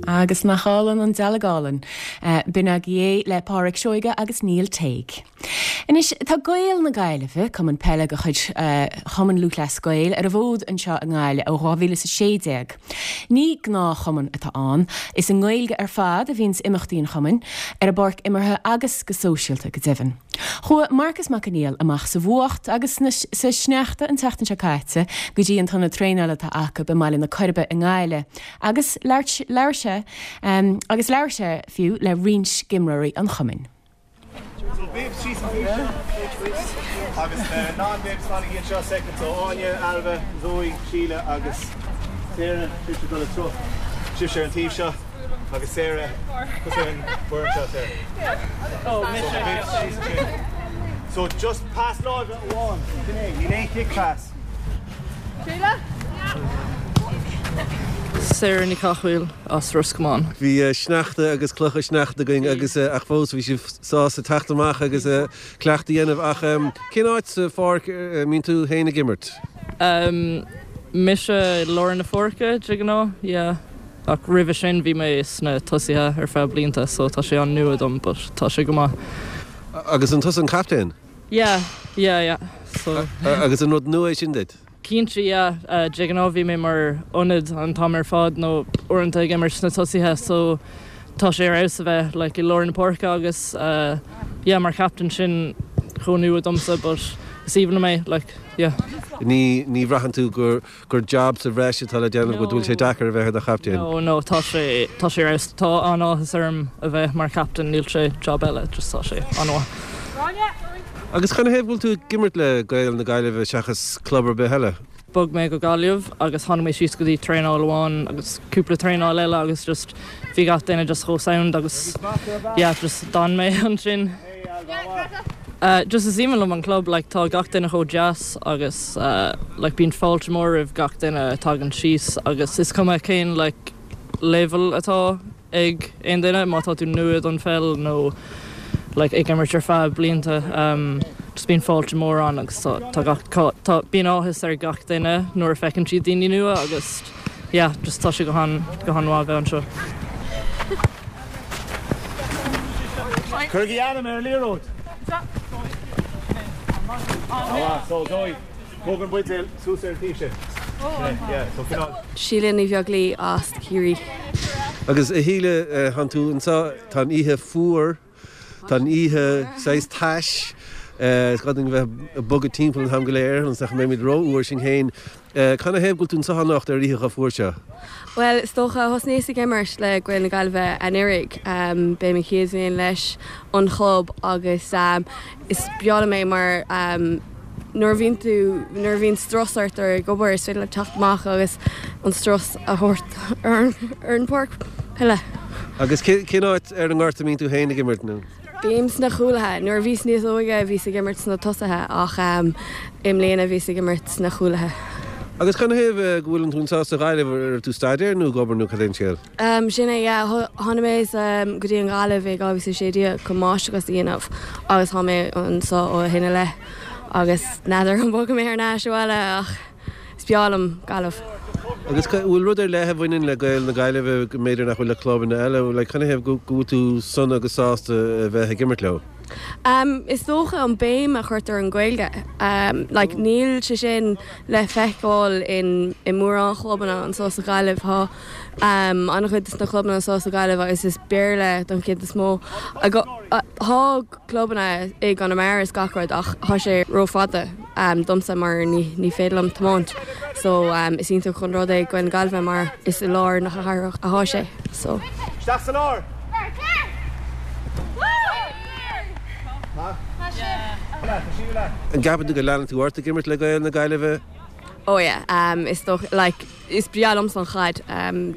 Agus nach álainn an dealg álainn. B'in agaibh é le Pádraic Seoige agus Neil Tague. Anois, tá Gaeil na Gaillimhe, cumann peile de chuid Chumann Lúthchleas Gael, ar an bhfód anseo i nGaillimh ó 2016. Ní gnáthchumann atá ann. Is i nGaeilge ar fad a bhíonns imeachtaí an chumainn, ar an bpáirc imeartha agus go sóisialta go deimhin. Chuaigh Marcus Mac Conghail amach sa bhfuacht agus sa sneachta an tseachtain seo caite go dtí an t-ionad traenála atá acu i mBaile na Coiribe i nGaillimh agus labhair sé agus labhair sé fiú le roinnt d'imreoirí an chumainn. So babes síos an taobh seo agus non-babes fanaigí anseo second. So Áine, Ailbhe, Zoe, Síle agus Sarah, sibhse ag dul ag troid. Sibhse ar an taobh seo agus Sarah tusa ar an bhfoireann seo Sarah. So na babes síos ansin. So just pas láimhe amháin, sin é, níl aon kick pass. Síle? Sarah Ní Chathmhaoil as Ros Comáin. Bhí sneachta agus clocha sneachta againn agus ach fós bhí sibh sásta teacht amach agus cleachtadh a dhéanamh. Ach cén áit sa pháirc a mbíonn tú féin ag imirt? Mise i lár na páirce de ghnáth, yeah. Ach roimhe sin bhí mé sna tosaithe ar feadh blianta so tá sé an-nua dom but tá sé go maith. Agus an tusa an captaen? Yeah, yeah, yeah. So. Agus an rud nua é sin duit? Cinnte, yeah. De ghnáth bhí mé mar ionad an t-am ar fad nó uaireanta ag imirt sna tosaithe so tá sé ar fheabhas a bheith like i lár na páirce agus yeah mar chaptaen sin chomh nua domsa but is aoibhinn liom é like yeah. Ní ní bhraitheann tú gur gur job sa bhreis atá le déanamh agat, go bhfuil sé deacair a bheith i do chaptaen? No, no, tá sé, tá sé ar fheabhas. Tá an-áthas orm a bheith mar chaptaen, níl sé job eile, just tá sé an-mhaith. Agus canathaobh go bhfuil tú ag imirt le Gaeil na Gaillimhe seachas club ar bith eile? Bhog mé go Gaillimh agus tháinig mé síos go dtí traenáil amháin agus cúpla traenáil eile agus just bhí gach duine just chomh sound agus yeah just d'fhan mé ansin. Just is aoibhinn liom an club, like tá gach duine chomh deas agus like bíonn fáilte mór roimh gach duine a tagann síos agus is cuma cén like level atá ag aon duine, má tá tú nua don pheil nó like ag imirt ar feadh blianta just bíonn fáilte mór ann agus tá tá gach tá bíonn áthas ar gach duine nuair a feiceann siad daoine nua agus yeah just tá sé go han go han-mhaith a bheith anseo. Cuirigí ainm ar an liathróid. So Zoe, tóg an buidéal suas ar an taobh sin. Yeah, so cineál. Síle Ní Bheaglaoí as Ciarraí. Agus a Shíle, tánn tú anseo, tá an oíche fuar, tá an oíche saghas tais. Is gá dúinn bheith ag bogadh timpeall an t-am go léir ionas nach mbeimid ró-fhuar sinn féin. Canathaobh go bhfuil tú anseo anocht ar oíche chomh fuar seo? Bhuel, is dócha, thosnaíos ag imirt le Gaeil na Gaillimhe anuraidh. B'é mo chéad bhliain leis an chlub agus is breá liom é mar nuair a bhíonn tú, nuair a bhíonn strus ort ar ag obair is féidir leat teacht amach agus an strus a thabhairt ar an bpáirc peile. Agus cén áit ar an ngort a mbíonn tú féin ag imirt nó? Bím sna cúlaithe. Nuair a bhíos níos óige bhíos ag imirt sna tosaithe ach i mbliana bhíos ag imirt sna cúlaithe. Agus canathaobh go bhfuileann tú anseo sa Ghaillimh, an raibh tú ag staidéar nó ag obair nó cad é an scéal? Sin é, yeah. Tháinig mé go dtí an Ghaillimh i 2016 chun máistreachas a dhéanamh agus tá mé anseo ó shin i leith agus n'fheadar an mbogfaidh mé thar n-ais abhaile ach Is breá liom Gaillimh. Agus an bhfuil rud ar leith a bhaineann le Gaeil na Gaillimhe go mb'fhéidir nach bhfuil le clubanna eile? Like, canathaobh go bhfuil tú sona agus sásta a bheith ag imirt leo? Um, is dócha an béim a chuirtear ar an Ghaeilge. Um, like, níl sé sin le feiceáil in, i mórán chlubanna anseo sa Ghaillimh. Tá um, an-chuid de na clubanna anseo sa Ghaillimh agus is Béarla don chuid is mó. Tá clubanna i gConamara is gach rud ach tá sé rófhada domsa mar ní féidir liom tiomáint so is iontach an rud é Gaeil na Gaillimhe mar is i lár na cathrach atá sé so. Isteach sa lár! An gceapann tú go leanfaidh tú ort ag imirt le Gaeil na Gaillimhe? Oh yeah, is dócha, like is breá liomsa an chaid.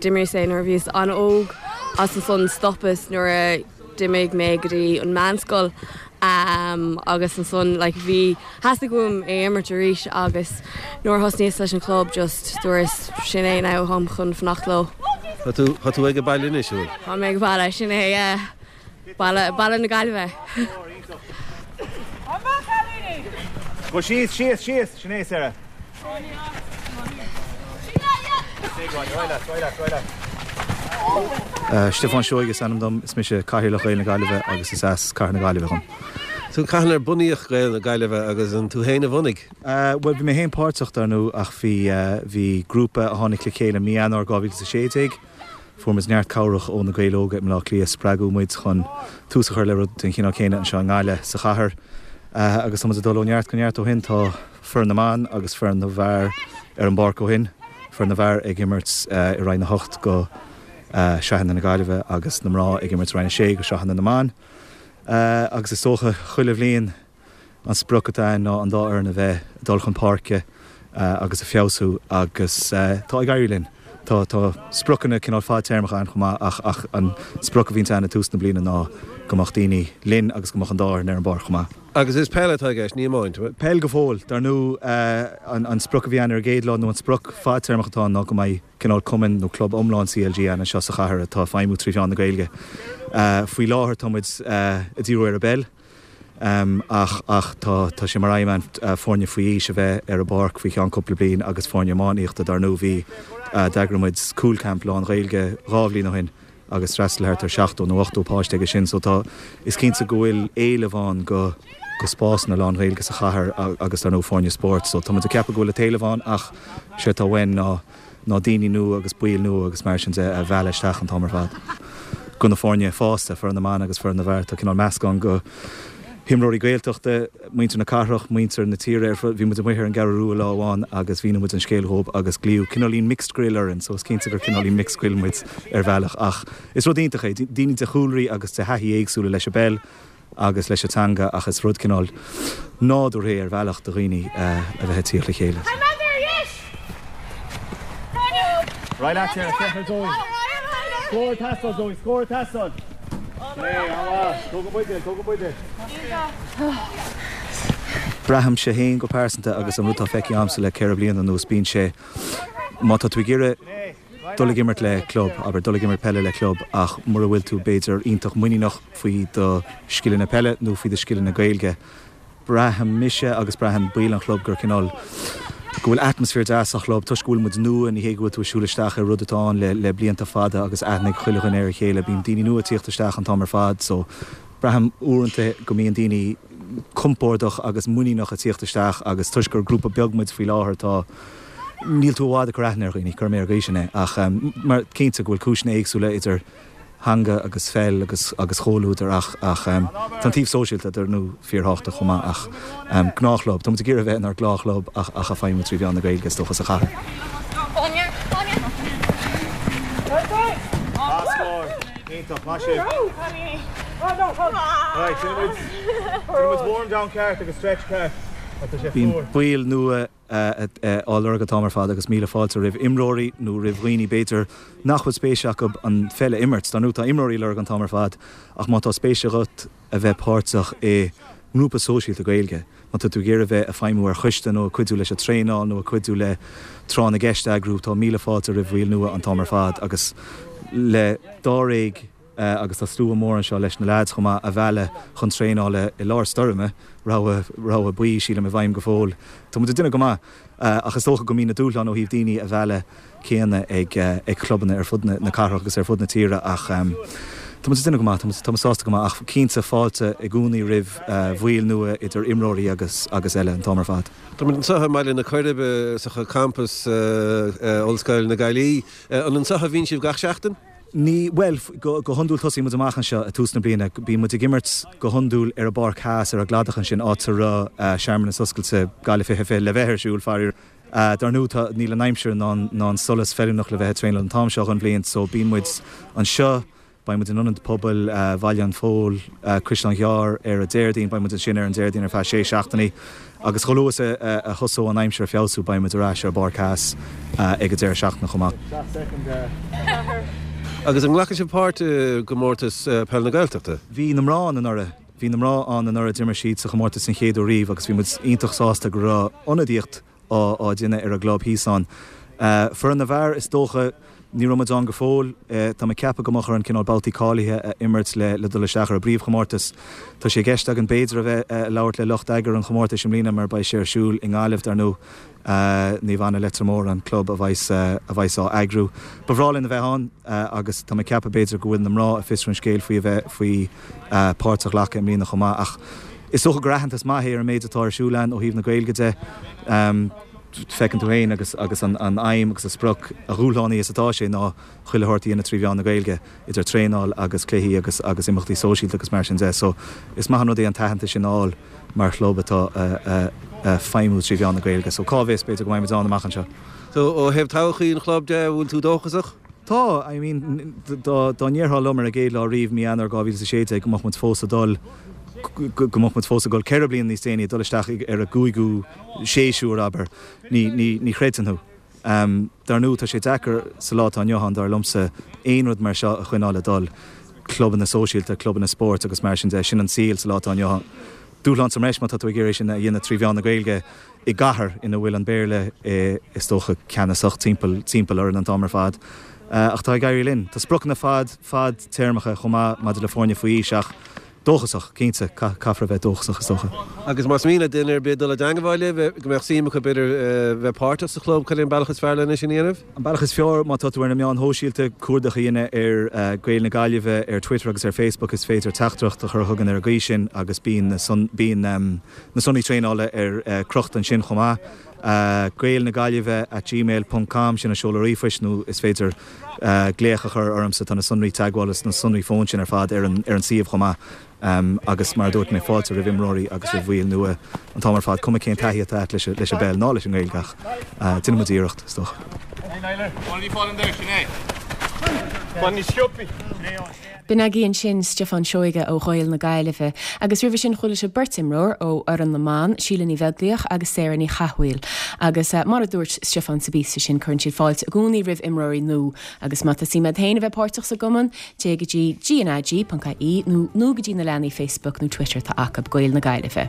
D'imríos é nuair a bhíos an-óg agus ansan stopas nuair a D'imigh mé go dtí an meánscoil agus ansan like bhí, theastaigh uaim é imirt arís agus nuair a thosnaíos leis an chlub just dúras sin é now táim chun fanacht leo. Tá tú, tá tú ag baile anois, an bhfuil? Tá mé ag baile, sin é yeah. Baile, baile na Gaillimhe. Go síos, síos, síos, sin é Sarah. Stiofán Seoighe is ainm dom, is mise Cathaoirleach Ghaeil na Gaillimhe agus is as Cathair na Gaillimhe dhom. So cathain ar bunaíodh Gaeil na Gaillimhe agus an tú féin a bhunaigh? Bhuel bhí mé féin páirteach dar ndóigh ach bhí bhí grúpa a tháinig le chéile mí Eanáir 2016. Fuair muid neart cabhrach ó na Gaeil Óga i mBleá Cliath, spreagadh muid chun tús a chur le rud den chineál céanna anseo i nGaillimh, sa chathair. Agus tá muid ag dul ó neart go neart ó shin. Tá foireann na mban agus foireann na bhfear ar an bpáirc ó shin, foireann na bhfear ag imirt i Roinn 8 go Sraitheanna na Gaillimhe agus na mná ag imirt i Roinn 6 go Sraitheanna na mBan. Agus is dócha chuile bhliain, An sprioc atá ann ná an dá fhoireann a bheith ag dul chun páirce agus ag feabhsú agus tá ag éirí linn. Tá tá spriocanna cineál fadtéarmacha ann chomh maith ach ach an sprioc a bhíonns ann ag tús na bliana ná go mbeadh daoine linn agus go mbeadh an dá fhoireann ar an bpáirc chomh maith. Agus is peil atá i gceist, ní iomáint? Peil go fóill. Dar ndóigh an an sprioc a bhí ann ar an gcéad lá nó an sprioc fadtéarmach atá ann ná go mbeidh cineál cumann nó club iomlán CLG ann anseo sa chathair atá ag feidhmiú trí mheán na Gaeilge. Faoi láthair tá muid ag díriú ar an bpeil. Ach ach tá tá sé mar aidhm ann foirne faoi aois a bheith ar an bpáirc faoi cheann cúpla bliain agus foirne iománaíochta. Dar ndóigh bhí, d'eagraigh muid Cúl Camp lán-Ghaeilge 2 bhliain ó shin agus d'fhreastail thart ar 70 nó 80 páiste aige sin so tá, is cinnte go bhfuil éileamh ann go go spásanna lán-Ghaeilge sa chathair agus dar ndóigh foirne spóirt so tá muid ag ceapadh go bhfuil an t-éileamh ann ach séard atá uainn ná ná daoine nua agus baill nua agus mar sin de a mhealladh isteach an t-am ar fad. Go na foirne fásta, foireann na mban agus foireann na bhfear, tá cineál meascán go himreoirí Gaeltachta, muintir na cathrach, muintir na tíre ar fud. Bhí muid amuigh ar an gCeathrú Rua lá amháin agus mhínigh muid an scéal dhóibh agus glaodh cineáilín mixed grill orainn so is cinnte gur cineáilín mixed grill muid ar bhealach ach is rud iontach é, daoine de chúlraí agus de thaithí éagsúla leis an bpeil. agus leis an teanga ach is rud cineál nádúrtha é ar bhealach do dhaoine a bheith ag tíocht le chéile. Braithimse féin go pearsanta agus an rud atá feicthe a'msa le 4 bliana anuas bíonn sé má tá tú ag iarraidh dul ag imirt le club, abair, dul ag imirt peile le club ach mura bhfuil tú b'fhéidir iontach muiníneach faoi do scileanna peile nó faoi do scileanna Gaeilge, braithim mise agus braitheann baill an chlub gur cineál, go bhfuil atmaisféar deas sa chlub toisc go bhfuil muid nua, ní hé go bhfuil tú ag siúl isteach ar rud atá ann le le blianta fada agus aithne ag chuile dhuine ar a chéile, bíonn daoine nua ag tíocht isteach an t-am ar fad so braithim uaireanta go mbíonn daoine compordach agus muiníneach ag tíocht isteach agus toisc gur grúpa beag muid faoi láthair tá níl tú i bhfad ag cur aithne ar dhaoine, cuirfidh mé ar an gcaoi sin é. Ach mar cinnte go bhfuil cúiseanna éagsúla idir. theanga agus pheil agus agus chomhluadar ach ach tá an taobh sóisialta dar ndóigh fíorthábhachtach chomh maith ach gnáthchlub, tá muid ag iarraidh a bheith inár ngnáthchlub ach ach ag feidhmiú trí mheán na Gaeilge is dócha sa chathair. Bíonn baill nua á lorg an t-am ar fad agus míle fáilte roimh imreoirí nó roimh dhaoine b'fhéidir nach bhfuil spéis acu an pheil a imirt. Dar ndóigh tá imreoirí á lorg an t-am ar fad ach má tá spéis agat a bheith páirteach i ngrúpa sóisialta Gaeilge, má tá tú ag iarraidh a bheith ag feidhmiú ar choiste nó ag cuidiú leis an traenáil nó ag cuidiú le tráth na gceist a eagrú, tá míle fáilte roimh bhaill nua an t-am ar fad agus le dáréag agus tá slua mór anseo leis na leaids chomh maith a mhealladh chun traenála i lár stoirme, rabhadh, rabhadh buí sílim i bhfeidhm go fóill. Tá muid ag déanamh go maith ach is dócha go mbíonn na dúshláin ó thaobh daoine a mhealladh céanna ag ag clubanna ar fud na cathrach agus ar fud na tíre ach tá muid ag déanamh go maith, tá muid, tá muid sásta go maith ach cinnte fáilte i gcónaí roimh bhaill nua idir imreoirí agus agus eile an t-am ar fad. Tá muid anseo i mBaile na Coiribe sa champas Ollscoil na Gaillimhe. An anseo a bhíonn sibh gach seachtain? Ní, bhuel, go hiondúil tosaíonn muid amach anseo ag tús na bliana. Bíonn muid ag imirt go hiondúil ar an bPáirc Theas, ar an gcladach ansin, áit a raibh searmanas oscailte Gaillimh 2020 le bheith ar siúl, faraor. Dar ndóigh, tá, níl an aimsir ná an solas feiliúnach le bheith ag traenáil an t-am seo den bhliain, so bíonn muid anseo, beidh muid in Ionad Pobail Bhaile an Phóil, Caisleán Ghearr ar an Déardaoin, beidh muid ansin ar an Déardaoin ar feadh sé seachtainí. Agus chomh luath is a thosóidh an aimsir ag feabhsú beidh muid ar ais ar an bPáirc Theas ag an deireadh seachtaine chomh maith. Agus an nglacann sibh páirt i gcomórtas Peil na Gaeltachta? Bhí na mná ann anuraidh. Bhí na mná ann anuraidh, d'imir siad sa chomórtas den chéad uair riamh agus bhí muid iontach sásta go raibh ionadaíocht á déanamh ar an gclub thíos ann. Foireann na bhfear, is dócha, ní raibh muid ann go fóill. Tá mé ag ceapadh go mbeadh orainn cineál babhtaí cáilithe a imirt le dul isteach ar an bpríomhchomórtas. Tá sé i gceist againn b'fhéidir a bheith ag labhairt le lucht eagair an chomórtais i mbliana mar beidh sé ar siúl i nGaillimh, dar ndóigh. Naomh Anna Leitir Móir an club a bheas a bheas á eagrú. Ba bhreá linn a bheith ann agus tá mé ag ceapadh b'fhéidir go bhfuil na mná ag fiosrú an scéil faoi a bheith faoi páirt a ghlacadh i mbliana chomh maith ach is dócha gur aitheantas maith é ar an méid atá ar siúl ann ó thaobh na Gaeilge de. Feiceann tú féin agus agus an an aidhm agus an sprioc, a dhúshlánaí is atá sé, ná chuile shórt a dhéanamh trí mheán na Gaeilge, idir traenáil agus cluichí agus agus imeachtaí sóisialta agus mar sin de. So is maith an rud é an t-aitheantas sin a fháil mar chlub atá a feidhmiú trí mheán na Gaeilge. So cá bhfios, b'fhéidir go mbeidh muid ann amach anseo. So ó thaobh todhchaí an chlub de, an bhfuil tú dóchasach? Tá, I mean, dá ndéarfá liom ar an gcéad lá riamh, mí Eanáir 2016, go mbeadh muid fós ag dul, go mbeadh muid fós ag dul ceithre bliana níos déanaí, ag dul isteach ar an gcúigiú séasúr, abair, ní, ní, ní chreidfinn thú. Dar ndóigh, tá sé deacair sa lá atá inniu ann, dar liomsa, aon rud mar seo a choinneáil ag dul, clubanna sóisialta, clubanna spóirt agus mar sin de, sin an saol sa lá atá inniu ann. Dúshlán sa mbreis má tá tú ag iarraidh é sin a dhéanamh trí mheán na Gaeilge. i gcathair ina bhfuil an Béarla is dócha ceannasach timpeall timpeall orainn an t-am ar fad. Ach tá ag éirí linn. Tá spriocanna fad fadtéarmacha chomh maith maidir le foirne faoi aois ach dóchasach, cinnte, caithfear a bheith dóchasach is dócha. Agus más mian le duine ar bith dul i dteangmháil libh, go mbeadh suim acu b'fhéidir bheith páirteach sa chlub, cad é an bealach is fearr lena sin a dhéanamh? An bealach is fearr, má tá tú ar na meáin shóisialta, cuardach a dhéanamh ar Gaeil na Gaillimhe ar Twitter agus ar Facebook, is féidir teachtaireacht a chur chugainn ar an gcaoi sin agus bíonn na bíonn. Na sonraí traenála ar crochta ansin chomh maith. Gaeil na Gaillimhe at gmail ponc com, sin an seoladh ríomhphoist nó is féidir glaoch a chur ormsa. Tá na sonraí teagmhála is na sonraí fóin sin ar fad ar an suíomh chomh maith. Agus mar a dúirt mé, fáilte roimh imreoirí agus roimh bhaill nua an t-am ar fad, cuma cén taithí atá agat leis an bpeil ná leis an nGaeilge ach déanfaidh muid iarracht, is dócha. B'in agaibh ansin Stiofán Seoige ó Ghaeil na Gaillimhe agus roimhe sin chuala sibh beirt imreoir ó fhoireann na mban, Síle Ní Bheaglaoich agus Sarah Ní Chathmhaoil. Agus mar a dúirt Stiofán sa bpíosa sin, cuireann siad fáilte i gcónaí roimh imreoirí nua agus má tá suim agat féin a bheith páirteach sa gcumann, téigh go dtí gnag.ie nó nó go dtí na leathanaigh Facebook nó Twitter atá acu, Gaeil na Gaillimhe.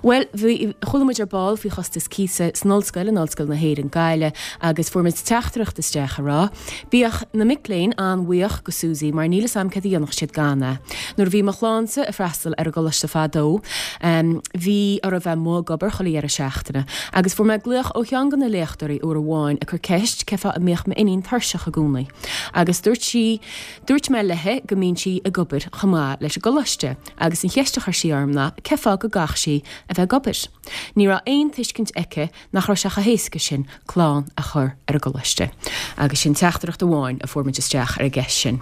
Bhuel, bhí, chuala muid ar ball faoi chostas cíosa san ollscoil, in Ollscoil na hÉireann, Gaillimh agus fuair muid teachtaireacht isteach ag rá, Bíodh na mic léinn an-bhuíoch go Suzy mar níl 'fhios a'm céard a dhéanfadh siad gan é. Nuair a bhí mo chlannsa ag freastal ar an gcoláiste fadó bhí orthu bheith amuigh ag obair chuile dheireadh seachtaine agus fuair mé glaoch ó cheann de na léachtóirí uair amháin ag cur ceist cé fáth a mbíodh m'iníon tuirseach i gcónaí agus dúirt sí dúirt mé léi go mbíonn sí ag obair chomh maith leis an gcoláiste agus an cheist a chuir sí orm ná cé fáth go gcaithfeadh sí. a bheith ag obair. Ní raibh aon tuiscint aici nach raibh sé chomh héasca sin clann a chur ar an gcoláiste. Agus sin teachtaireacht amháin a fuair muid isteach ar an gceist sin.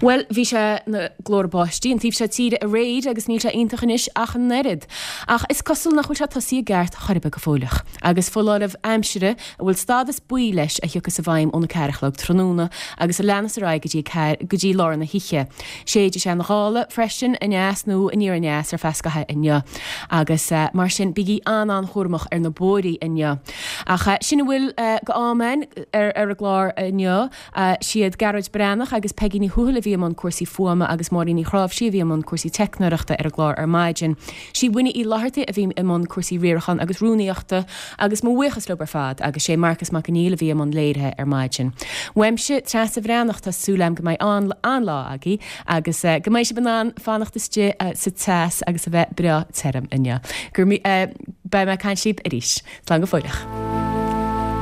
Bhuel, bhí sé ina ghlóthar báistí an taobh seo tíre aréir agus níl sé iontach anois ach an oiread. Ach is cosúil nach bhfuil sé tosaithe i gceart chor ar bith go fóilleach. Agus foláireamh aimsire a bhfuil stádas buí leis a thiocfas i bhfeidhm óna ceathair a chlog tráthnóna agus a leanas ar aghaidh go dtí go dtí lár na hoíche. Séidfidh sé na gála freisin, aneas nó aniar aneas ar feadh scaithimh inniu. Agus mar sin, bígí an-an-chúramach ar na bóithrí inniu. Ach sin a bhfuil go am againn ar an gclár inniu. Siad Gearóid Breathnach agus Peigí Ní Thuathail a bhí i mbun cúrsaí fuaime agus Máirín Ní Chráimhsí a bhí i mbun cúrsaí teicneoireachta ar an gclár ar maidin. Sí Winnie Uí Fhlathartaigh a bhí i mbun cúrsaí riaracháin agus rúnaíochta agus mo bhuíochas leo ar fad agus sé Marcas Mac Conghail a bhí i mbun léirithe ar maidin. Uaimse, Treasa Bhreathnach, tá súil agam go mbeidh an-lá agaibh agus go mbeidh sibh in ann fanacht istigh sa teas agus a bheith breá tirim inniu. Go raibh, beidh mé ag caint libh arís. Slán go fóilleach.